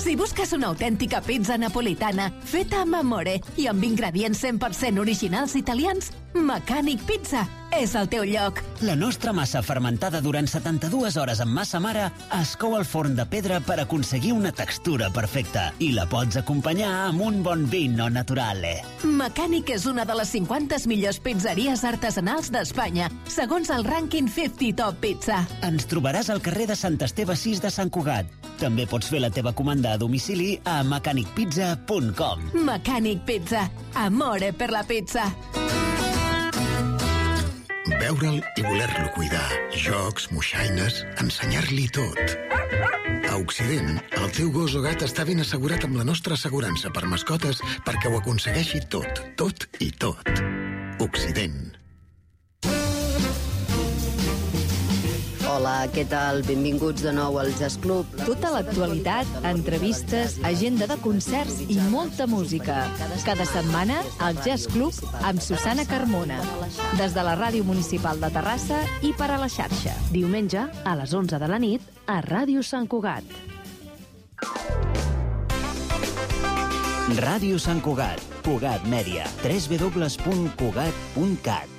Si busques una autèntica pizza napolitana feta amb amore i amb ingredients 100% originals italians, Mecànic Pizza és el teu lloc. La nostra massa fermentada durant 72 hores amb massa mare es cou al forn de pedra per aconseguir una textura perfecta i la pots acompanyar amb un bon vino naturale. Mecànic és una de les 50 millors pizzeries artesanals d'Espanya, segons el rànquing 50 Top Pizza. Ens trobaràs al carrer de Sant Esteve 6 de Sant Cugat. També pots fer la teva comanda a domicili a mecanicpizza.com. Mecànic Pizza. Amore per la pizza. Veure'l i voler-lo cuidar. Jocs, moixaines, ensenyar-li tot. A Occident, el teu gos o gat està ben assegurat amb la nostra assegurança per mascotes perquè ho aconsegueixi tot, tot i tot. Occident. Hola, què tal? Benvinguts de nou al Jazz Club. Tota l'actualitat, entrevistes, agenda de concerts i molta música. Cada setmana, al Jazz Club amb Susana Carmona. Des de la Ràdio Municipal de Terrassa i per a la xarxa. Diumenge, a les 11 de la nit, a Ràdio Sant Cugat. Ràdio Sant Cugat, Cugat Mèdia, www.cugat.cat.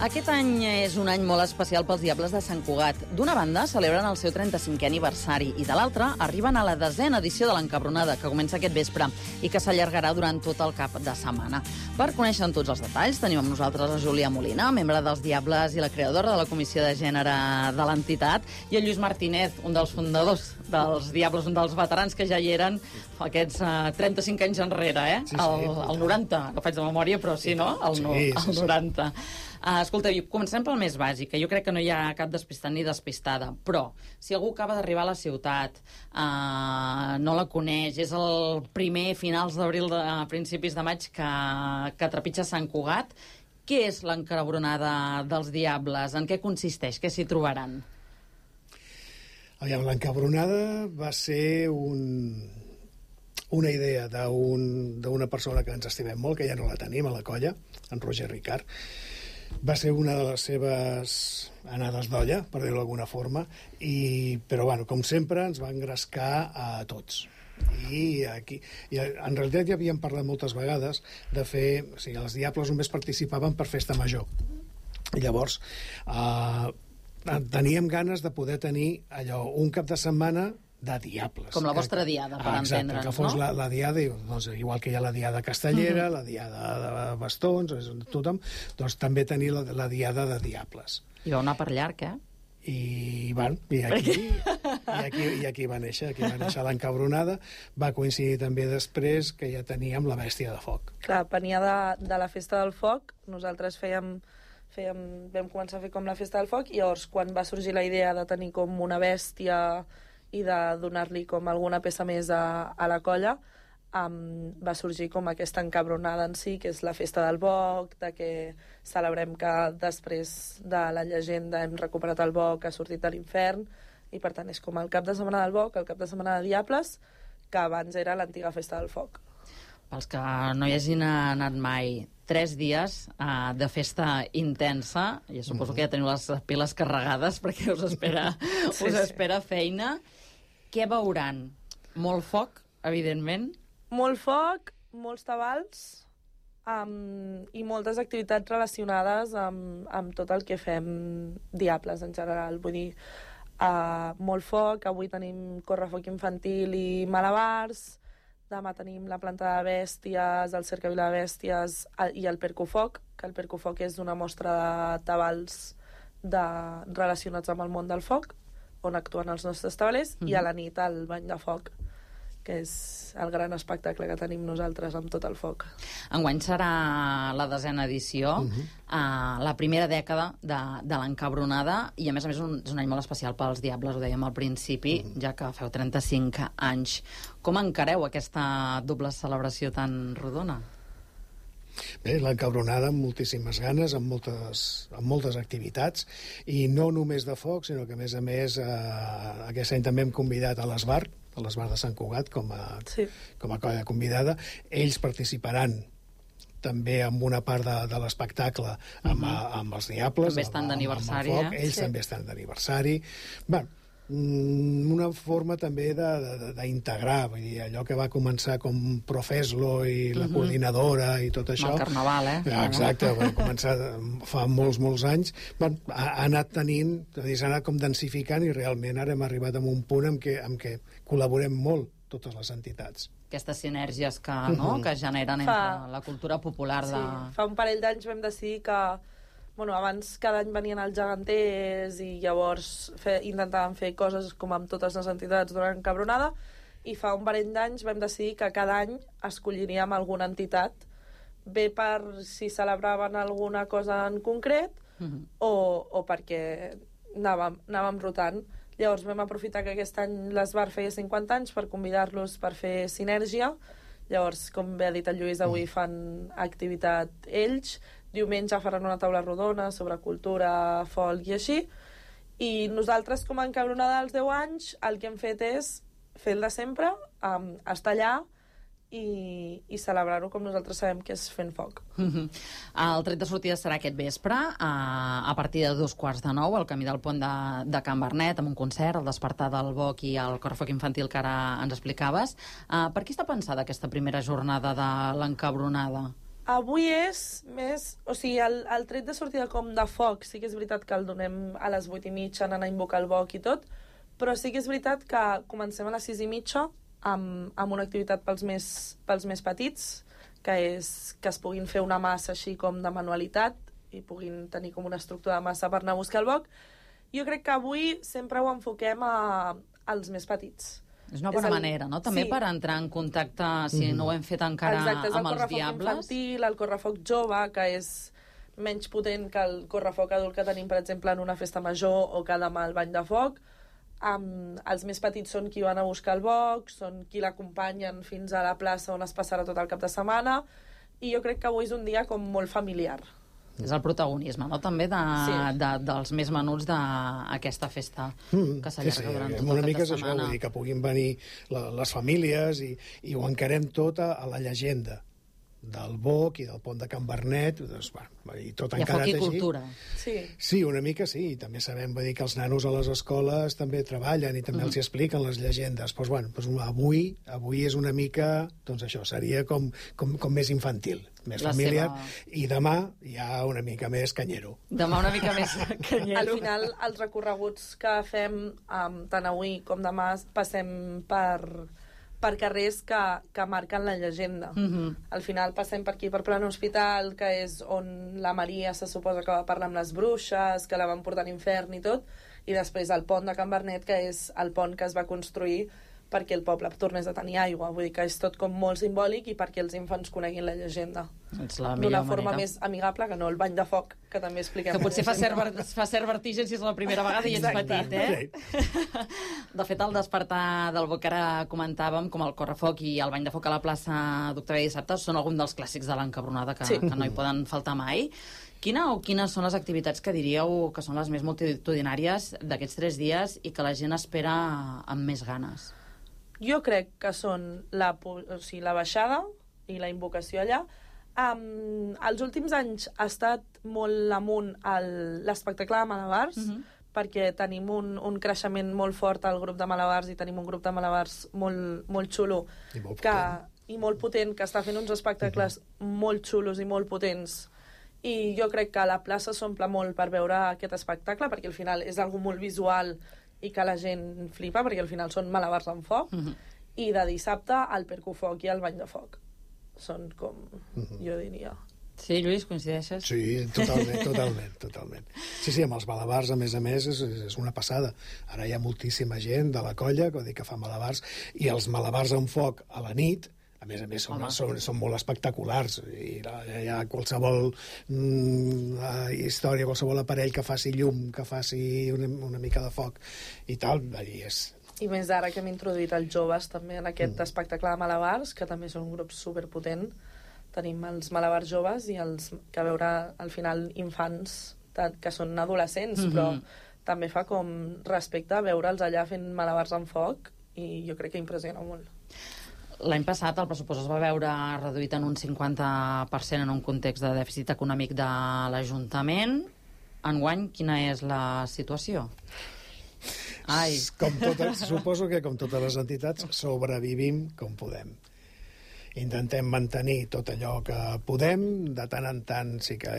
Aquest any és un any molt especial pels Diables de Sant Cugat. D'una banda, celebren el seu 35è aniversari i de l'altra, arriben a la 10a edició de l'Encabronada, que comença aquest vespre i que s'allargarà durant tot el cap de setmana. Per conèixer tots els detalls, tenim amb nosaltres la Júlia Molina, membre dels Diables i la creadora de la Comissió de Gènere de l'entitat, i el Lluís Martínez, un dels fundadors dels Diables, un dels veterans que ja hi eren aquests 35 anys enrere, eh? Sí, sí. El 90, que faig de memòria, però sí, no? El 90. Escolta, comencem pel més bàsic, que jo crec que no hi ha cap despistat ni despistada, però si algú acaba d'arribar a la ciutat, no la coneix, és el primer finals d'abril, principis de maig, que trepitja Sant Cugat, què és l'Encabronada dels Diables? En què consisteix? Què s'hi trobaran? L'Encabronada va ser una idea d'una persona que ens estimem molt, que ja no la tenim a la colla, en Roger Ricard. Va ser una de les seves anades d'olla, per dir-ho d'alguna forma, però, bueno, com sempre, ens va engrescar a tots. I en realitat ja havíem parlat moltes vegades de fer... O sigui, els Diables només participaven per festa major. I llavors, teníem ganes de poder tenir allò, un cap de setmana de Diables. Com la vostra diada, per entendre'ns, que fos la diada, doncs, igual que hi ha la diada castellera, la diada de bastons, tothom, doncs també tenir la diada de Diables. I vau anar per llarg, I aquí va néixer, l'encabronada. Va coincidir també després que ja teníem la bèstia de foc. Clar, venia de la festa del foc. Nosaltres vam començar a fer com la festa del foc, i llavors quan va sorgir la idea de tenir com una bèstia i de donar-li com alguna peça més a la colla, va sorgir com aquesta encabronada en si, que és la festa del boc, de que celebrem que després de la llegenda hem recuperat el boc, ha sortit de l'infern, i per tant és com el cap de setmana del boc, el cap de setmana de Diables, que abans era l'antiga festa del foc. Pels que no hi hagin anat mai, 3 dies de festa intensa, i suposo que ja teniu les piles carregades perquè us espera feina. Què veuran? Molt foc, evidentment. Molt foc, molts tabals i moltes activitats relacionades amb tot el que fem Diables en general. Vull dir, molt foc, avui tenim correfoc infantil i malabars, demà tenim la planta de bèsties, el cercavila de bèsties i el percofoc, que el percofoc és una mostra de tabals relacionats amb el món del foc, on actuen els nostres tabalers, i a la nit el bany de foc, que és el gran espectacle que tenim nosaltres amb tot el foc. Enguany serà la 10ª edició, la primera dècada de l'encabronada, i a més és un any molt especial pels Diables, ho dèiem al principi, ja que feu 35 anys. Com encareu aquesta doble celebració tan rodona? Bé, l'encabronada amb moltíssimes ganes, amb moltes activitats, i no només de foc, sinó que a més aquest any també hem convidat a l'Esbar de Sant Cugat com a colla convidada. Ells participaran també amb una part de l'espectacle amb els Diables. També estan d'aniversari. Ells també estan d'aniversari. Bé, una forma també d'integrar, vull dir, allò que va començar com Profeslo i la coordinadora i tot això. El carnaval, Exacte, va començar fa molts anys. Ha anat tenint, s'ha anat com densificant, i realment ara hem arribat a un punt en què col·laborem molt totes les entitats. Aquestes sinergies que generen entre la cultura popular. Fa un parell d'anys vam decidir que abans cada any venien els geganters i llavors intentàvem fer coses com amb totes les entitats durant l'encabronada, i fa un parell d'anys vam decidir que cada any escolliríem alguna entitat, bé per si celebraven alguna cosa en concret o perquè anàvem rotant. Llavors vam aprofitar que aquest any l'Esbar feia 50 anys per convidar-los per fer sinergia. Llavors, com bé ha dit el Lluís, avui fan activitat ells. Diumenge faran una taula rodona sobre cultura, folk i així. I nosaltres, com a encabronada dels 10 anys, el que hem fet és fer el de sempre, estar allà i celebrar-ho com nosaltres sabem que és fent foc. El tret de sortida serà aquest vespre, a partir de 8:45, al camí del pont de Can Bernet, amb un concert, el despertar del boc i el correfoc infantil que ara ens explicaves. Per què està pensada aquesta primera jornada de l'encabronada? Avui és més... O sigui, el tret de sortida com de foc sí que és veritat que el donem a les 8:30, anant a invocar el boc i tot, però sí que és veritat que comencem a les 6:30 amb una activitat pels més petits, que és que es puguin fer una massa així com de manualitat i puguin tenir com una estructura de massa per anar a buscar el boc. Jo crec que avui sempre ho enfoquem als més petits. És una bona manera, no? També per entrar en contacte, si no ho hem fet encara, amb els Diables. Exacte, és el correfoc infantil, el correfoc jove, que és menys potent que el correfoc adult que tenim, per exemple, en una festa major o que demà al bany de foc. Els més petits són qui van a buscar el boc, són qui l'acompanyen fins a la plaça on es passarà tot el cap de setmana, i jo crec que avui és un dia com molt familiar. És el protagonisme, no?, també dels més menuts d'aquesta festa que s'allarga durant tota una mica aquesta és setmana. això, vull dir que puguin venir les famílies i ho encarem tot a la llegenda del boc i del pont de Can Bernet, doncs, i tot encarat així. Hi ha foc i cultura. Sí, una mica sí, i també sabem que els nanos a les escoles també treballen i també els expliquen les llegendes. Doncs, avui és una mica, doncs això, seria com més infantil, més familiar, i demà ja una mica més canyero. Demà una mica més canyero. Al final, els recorreguts que fem tant avui com demà passem per per carrers que marquen la llegenda. Al final passem per aquí, per Plan Hospital, que és on la Maria se suposa que va parlar amb les bruixes, que la van portar a l'infern i tot, i després el pont de Can Bernet, que és el pont que es va construir perquè el poble tornés a tenir aigua. Vull dir que és tot com molt simbòlic i perquè els infants coneguin la llegenda. D'una forma més amigable que no el bany de foc, que també expliquem. Que potser fa cert vertigen si és la primera vegada i ets petit, De fet, al despertar del bo que ara comentàvem, com el correfoc i el bany de foc a la plaça d'Octavià Dissabte, són alguns dels clàssics de l'encabronada que no hi poden faltar mai. Quines són les activitats que diríeu que són les més multitudinàries d'aquests 3 dies i que la gent espera amb més ganes? Jo crec que són la baixada i la invocació allà. Els últims anys ha estat molt amunt l'espectacle de malabars, perquè tenim un creixement molt fort al grup de malabars i tenim un grup de malabars molt xulo i molt potent, que està fent uns espectacles molt xulos i molt potents. I jo crec que la plaça s'omple molt per veure aquest espectacle, perquè al final és algo molt visual i que la gent flipa, perquè al final són malabars amb foc, i de dissabte el percufoc i el bany de foc. Són com, jo diria... Sí, Lluís, coincideixes? Sí, totalment. Sí, amb els malabars, a més, és una passada. Ara hi ha moltíssima gent de la colla que fa malabars, i els malabars amb foc a la nit, a més, són molt espectaculars. I hi ha qualsevol història, qualsevol aparell que faci llum, que faci una mica de foc i tal, I més ara que hem introduït els joves també en aquest espectacle de malabars, que també són un grup superpotent. Tenim els malabars joves i els que veure al final infants que són adolescents, però també fa com respecte veure'ls allà fent malabars amb foc, i jo crec que impressiona molt. L'any passat el pressupost es va veure reduït en un 50% en un context de dèficit econòmic de l'Ajuntament. Enguany, quina és la situació? Suposo que com totes les entitats sobrevivim com podem. Intentem mantenir tot allò que podem. De tant en tant sí que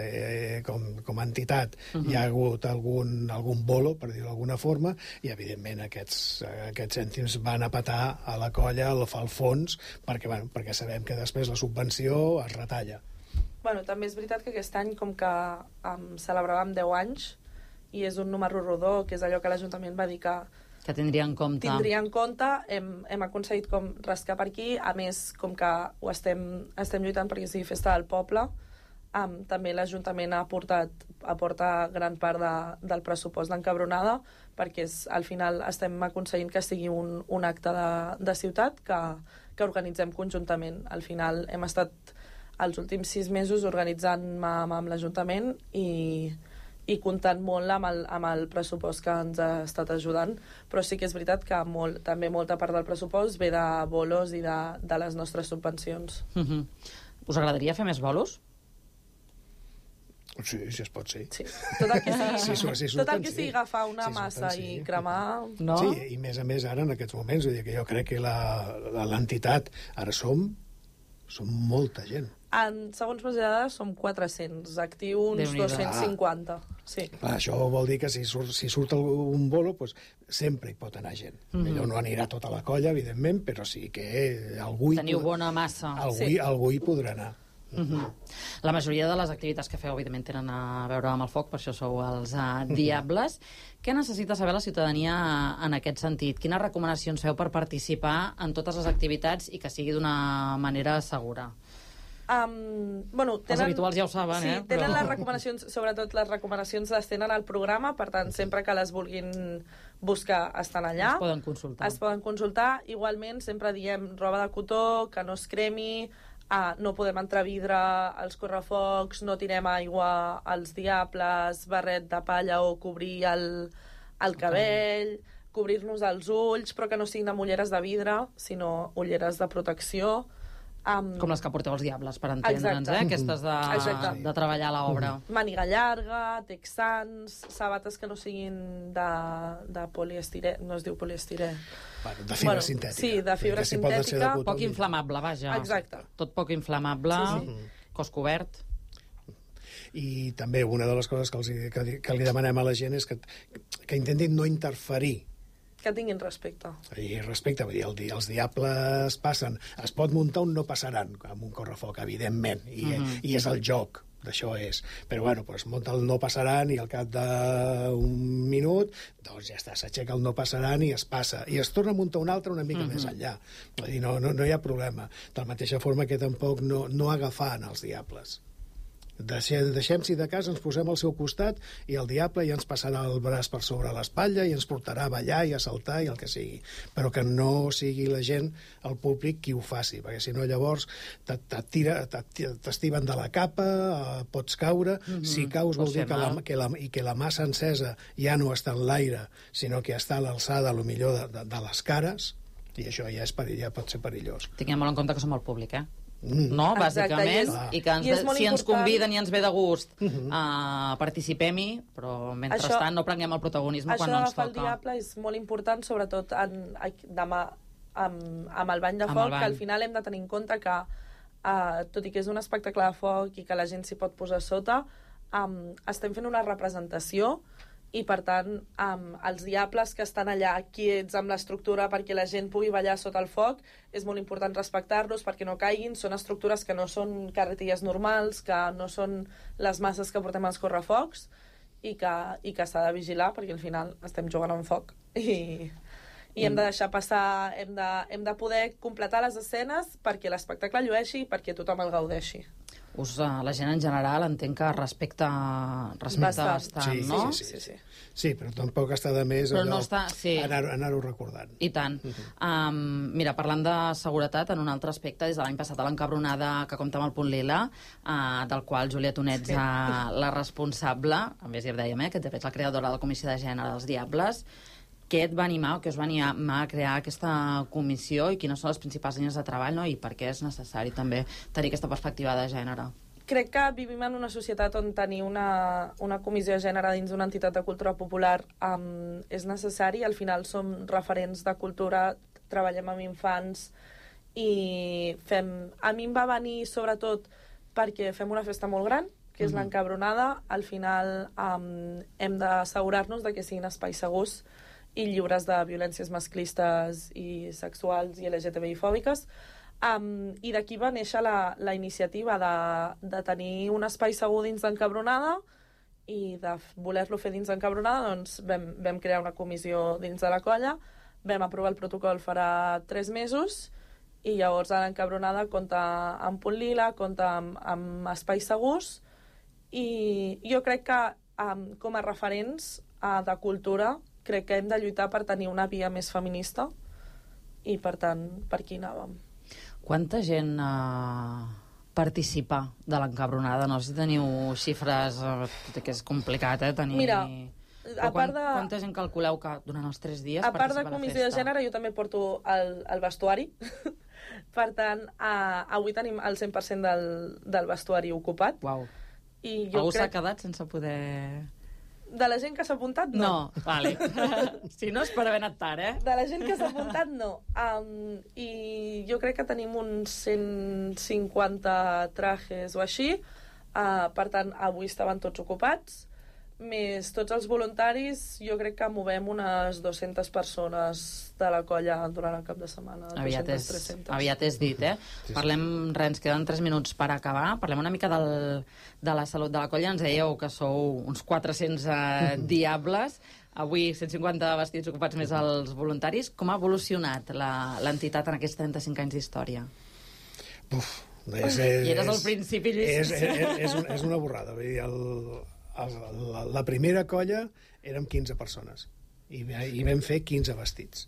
com a entitat hi ha hagut algun bolo, per dir-ho d'alguna forma, i evidentment aquests cèntims van a petar a la colla, al fons, perquè sabem que després la subvenció es retalla. També és veritat que aquest any, com que celebràvem 10 anys, i és un número rodó, que és allò que l'Ajuntament va dir que tindria en compte. Hem aconseguit com rascar per aquí, a més, com que ho estem lluitant perquè sigui festa del poble, també l'Ajuntament aporta gran part del pressupost d'encabronada, perquè al final estem aconseguint que sigui un acte de ciutat que organitzem conjuntament. Al final hem estat els últims 6 mesos organitzant amb l'Ajuntament i comptant molt amb el pressupost que ens ha estat ajudant, però sí que és veritat que també molta part del pressupost ve de bolos i de les nostres subvencions. Us agradaria fer més bolos? Sí, si es pot, sí. Tot el que sigui agafar una massa i cremar... Sí, i més a més ara en aquests moments, vull dir que jo crec que l'entitat ara som molta gent. Segons les dades som 400, actiu uns 250. Sí. Clar, això vol dir que si surt un bolo, sempre hi pot anar gent. Millor no anirà tota la colla, evidentment, però sí que algú teniu bona massa. Algú hi podrà anar. La majoria de les activitats que feu, evidentment, tenen a veure amb el foc, per això sou els Diables. Què necessita saber la ciutadania en aquest sentit? Quines recomanacions feu per participar en totes les activitats i que sigui d'una manera segura? Els habituals ja ho saben, sí, tenen les recomanacions, sobretot les recomanacions les tenen al programa, per tant, sempre que les vulguin buscar estan allà. Es poden consultar. Igualment, sempre diem roba de cotó, que no es cremi, no podem entrar vidre als correfocs, no tirem aigua als diables, barret de palla o cobrir el cabell, cobrir-nos els ulls, però que no siguin amb ulleres de vidre, sinó ulleres de protecció. Com les que porteu els diables, per entendre'ns, aquestes de treballar a l'obra. Màniga llarga, texans, sabates que no siguin de poliestirè, no es diu poliestirè. De fibra sintètica. Sí, de fibra sintètica. Poc inflamable, vaja. Exacte. Tot poc inflamable, cos cobert. I també una de les coses que li demanem a la gent és que intentin no interferir que tinguin respecte. I respecte, vull dir, els diables passen. Es pot muntar un no passaran amb un correfoc, evidentment, i és el joc, d'això és. Però, bueno, doncs munta el no passaran i al cap d'un minut, doncs ja està, s'aixeca el no passaran i es passa. I es torna a muntar un altre una mica més enllà. Vull dir, no hi ha problema. De la mateixa forma que tampoc no agafant els diables. Deixem, si de cas, ens posem al seu costat i el diable ja ens passarà el braç per sobre l'espatlla i ens portarà a ballar i a saltar i el que sigui. Però que no sigui la gent, el públic, qui ho faci, perquè si no llavors t'estiven de la capa, pots caure. Si caus vol dir que la massa encesa ja no està en l'aire, sinó que està a l'alçada, millor de les cares, i això ja pot ser perillós. Tinguem molt en compte que som el públic, no, bàsicament, i que si ens conviden i ens ve de gust participem-hi, però mentrestant no prenguem el protagonisme quan no ens toca. Això d'agafar el diable és molt important, sobretot demà amb el bany de foc, que al final hem de tenir en compte que tot i que és un espectacle de foc i que la gent s'hi pot posar sota, estem fent una representació i, per tant, els diables que estan allà quiets amb l'estructura perquè la gent pugui ballar sota el foc, és molt important respectar-los perquè no caiguin. Són estructures que no són carretilles normals, que no són les masses que portem als correfocs i que s'ha de vigilar perquè al final estem jugant amb foc i hem de deixar passar, hem de poder completar les escenes perquè l'espectacle llueixi i perquè tothom el gaudeixi. La gent en general entenc que respecta bastant, no? Sí, però tampoc està de més anar-ho recordant. I tant. Mira, parlant de seguretat, en un altre aspecte, des de l'any passat a l'Encabronada, que compta amb el Punt Lila, del qual Júlia Tonet és la responsable, a més ja ho dèiem, que és la creadora de la Comissió de Gènere dels Diables. Què et va animar o què us va animar a crear aquesta comissió i quines són les principals línies de treball, no? I per què és necessari també tenir aquesta perspectiva de gènere? Crec que vivim en una societat on tenir una comissió de gènere dins d'una entitat de cultura popular és necessari. Al final som referents de cultura, treballem amb infants i a mi em va venir sobretot perquè fem una festa molt gran, que és l'Encabronada. Al final hem d'assegurar-nos que siguin espais segurs i lliures de violències masclistes i sexuals i LGTBI-fòbiques. I d'aquí va néixer la iniciativa de tenir un espai segur dins d'Encabronada i de voler-lo fer dins d'Encabronada, doncs vam crear una comissió dins de la colla, vam aprovar el protocol farà 3 mesos i llavors a l'Encabronada compta amb Punt Lila, compta amb espais segurs i jo crec que com a referents de cultura crec que hem de lluitar per tenir una via més feminista i, per tant, per aquí anàvem. Quanta gent participa de l'Encabronada? No sé si teniu xifres, que és complicat, tenir... Mira, quanta gent calculeu que durant els 3 dies participa a la festa? A part de comissió de gènere, jo també porto el vestuari. Per tant, avui tenim el 100% del vestuari ocupat. Uau. Algú s'ha quedat sense poder... De la gent que s'ha apuntat, no. No, vale. Si no és per haver anat tard, De la gent que s'ha apuntat, no. I jo crec que tenim uns 150 trajes o així. Per tant, avui estaven tots ocupats. Més tots els voluntaris, jo crec que movem unes 200 persones de la colla durant el cap de setmana. Aviat és dit, Parlem, ens queden 3 minuts per acabar. Parlem una mica de la salut de la colla. Ens dèieu que sou uns 400 diables. Avui 150 vestits ocupats més els voluntaris. Com ha evolucionat l'entitat en aquests 35 anys d'història? I eres al principi, Lluís. És una borrada. Vull dir, la primera colla érem 15 persones i vam fer 15 vestits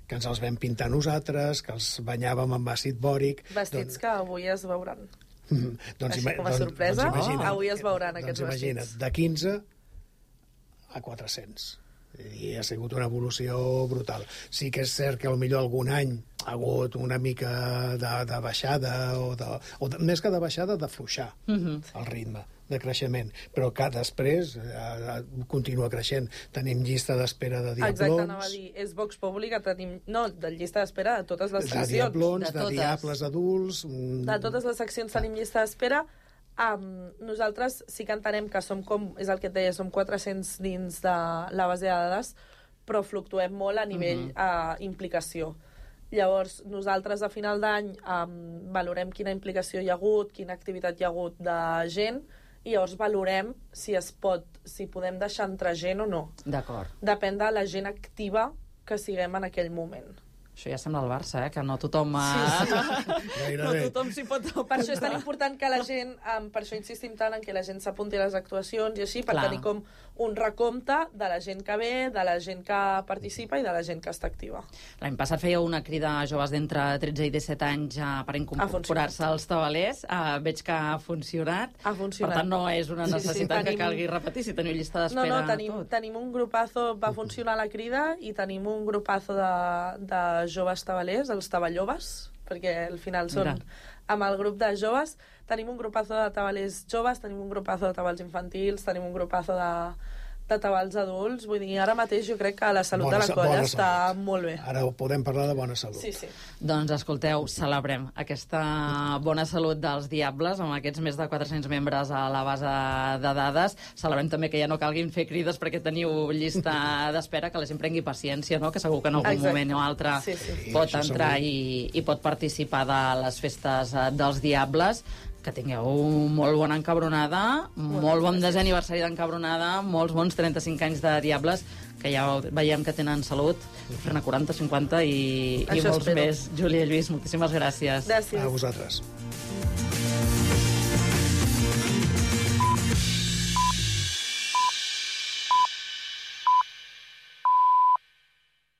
que ens els vam pintar nosaltres, que els banyàvem amb àcid bòric. Vestits que avui es veuran. Així com a sorpresa, avui es veuran aquests vestits. Imagina't, de 15 a 400. I ha sigut una evolució brutal. Sí que és cert que potser algun any ha hagut una mica de baixada, més que de baixada, d'afluixar el ritme de creixement, però que després continua creixent. Tenim llista d'espera de diablons. Exacte, anava a dir, és Vox Populi que tenim... No, de llista d'espera de totes les seccions. De diablons, de diables adults... De totes les seccions tenim llista d'espera. Nosaltres sí que entenem que som com, és el que et deia, som 400 dins de la base de dades, però fluctuem molt a nivell implicació. Llavors, nosaltres a final d'any valorem quina implicació hi ha hagut, quina activitat hi ha hagut de gent, i llavors valorem si podem deixar entrar gent o no. D'acord. Depèn de la gent activa que siguem en aquell moment. Això ja sembla el Barça, que no tothom... No tothom s'hi pot... Per això és tan important que la gent... Per això insistim tant en que la gent s'apunti a les actuacions i així, per tenir com un recompte de la gent que ve, de la gent que participa i de la gent que està activa. L'any passat fèieu una crida a joves d'entre 13 i 17 anys per incorporar-se als tabalers. Veig que ha funcionat. Ha funcionat. Per tant, no és una necessitat que calgui repetir, si teniu llista d'espera. No, tenim un grupazo, va funcionar la crida, i tenim un grupazo de joves tabalers, els taballoves, perquè al final són amb el grup de joves. Tenim un grupazo de tabalers joves, tenim un grupazo de tabals infantils, tenim un grupazo de tabals adults. Vull dir, ara mateix jo crec que la salut de la colla està molt bé. Ara podem parlar de bona salut. Sí. Doncs escolteu, celebrem aquesta bona salut dels Diables amb aquests més de 400 membres a la base de dades. Celebrem també que ja no calguin fer crides perquè teniu llista d'espera, que la gent prengui paciència, no? Que segur que en algun moment o altre pot entrar i pot participar de les festes dels Diables. Que tingueu molt bona encabronada, molt bon desè aniversari d'encabronada, molts bons 35 anys de Diables, que ja veiem que tenen salut, fer-ne 40, 50 i molts més. Júlia i Lluís, moltíssimes gràcies. Gràcies. A vosaltres.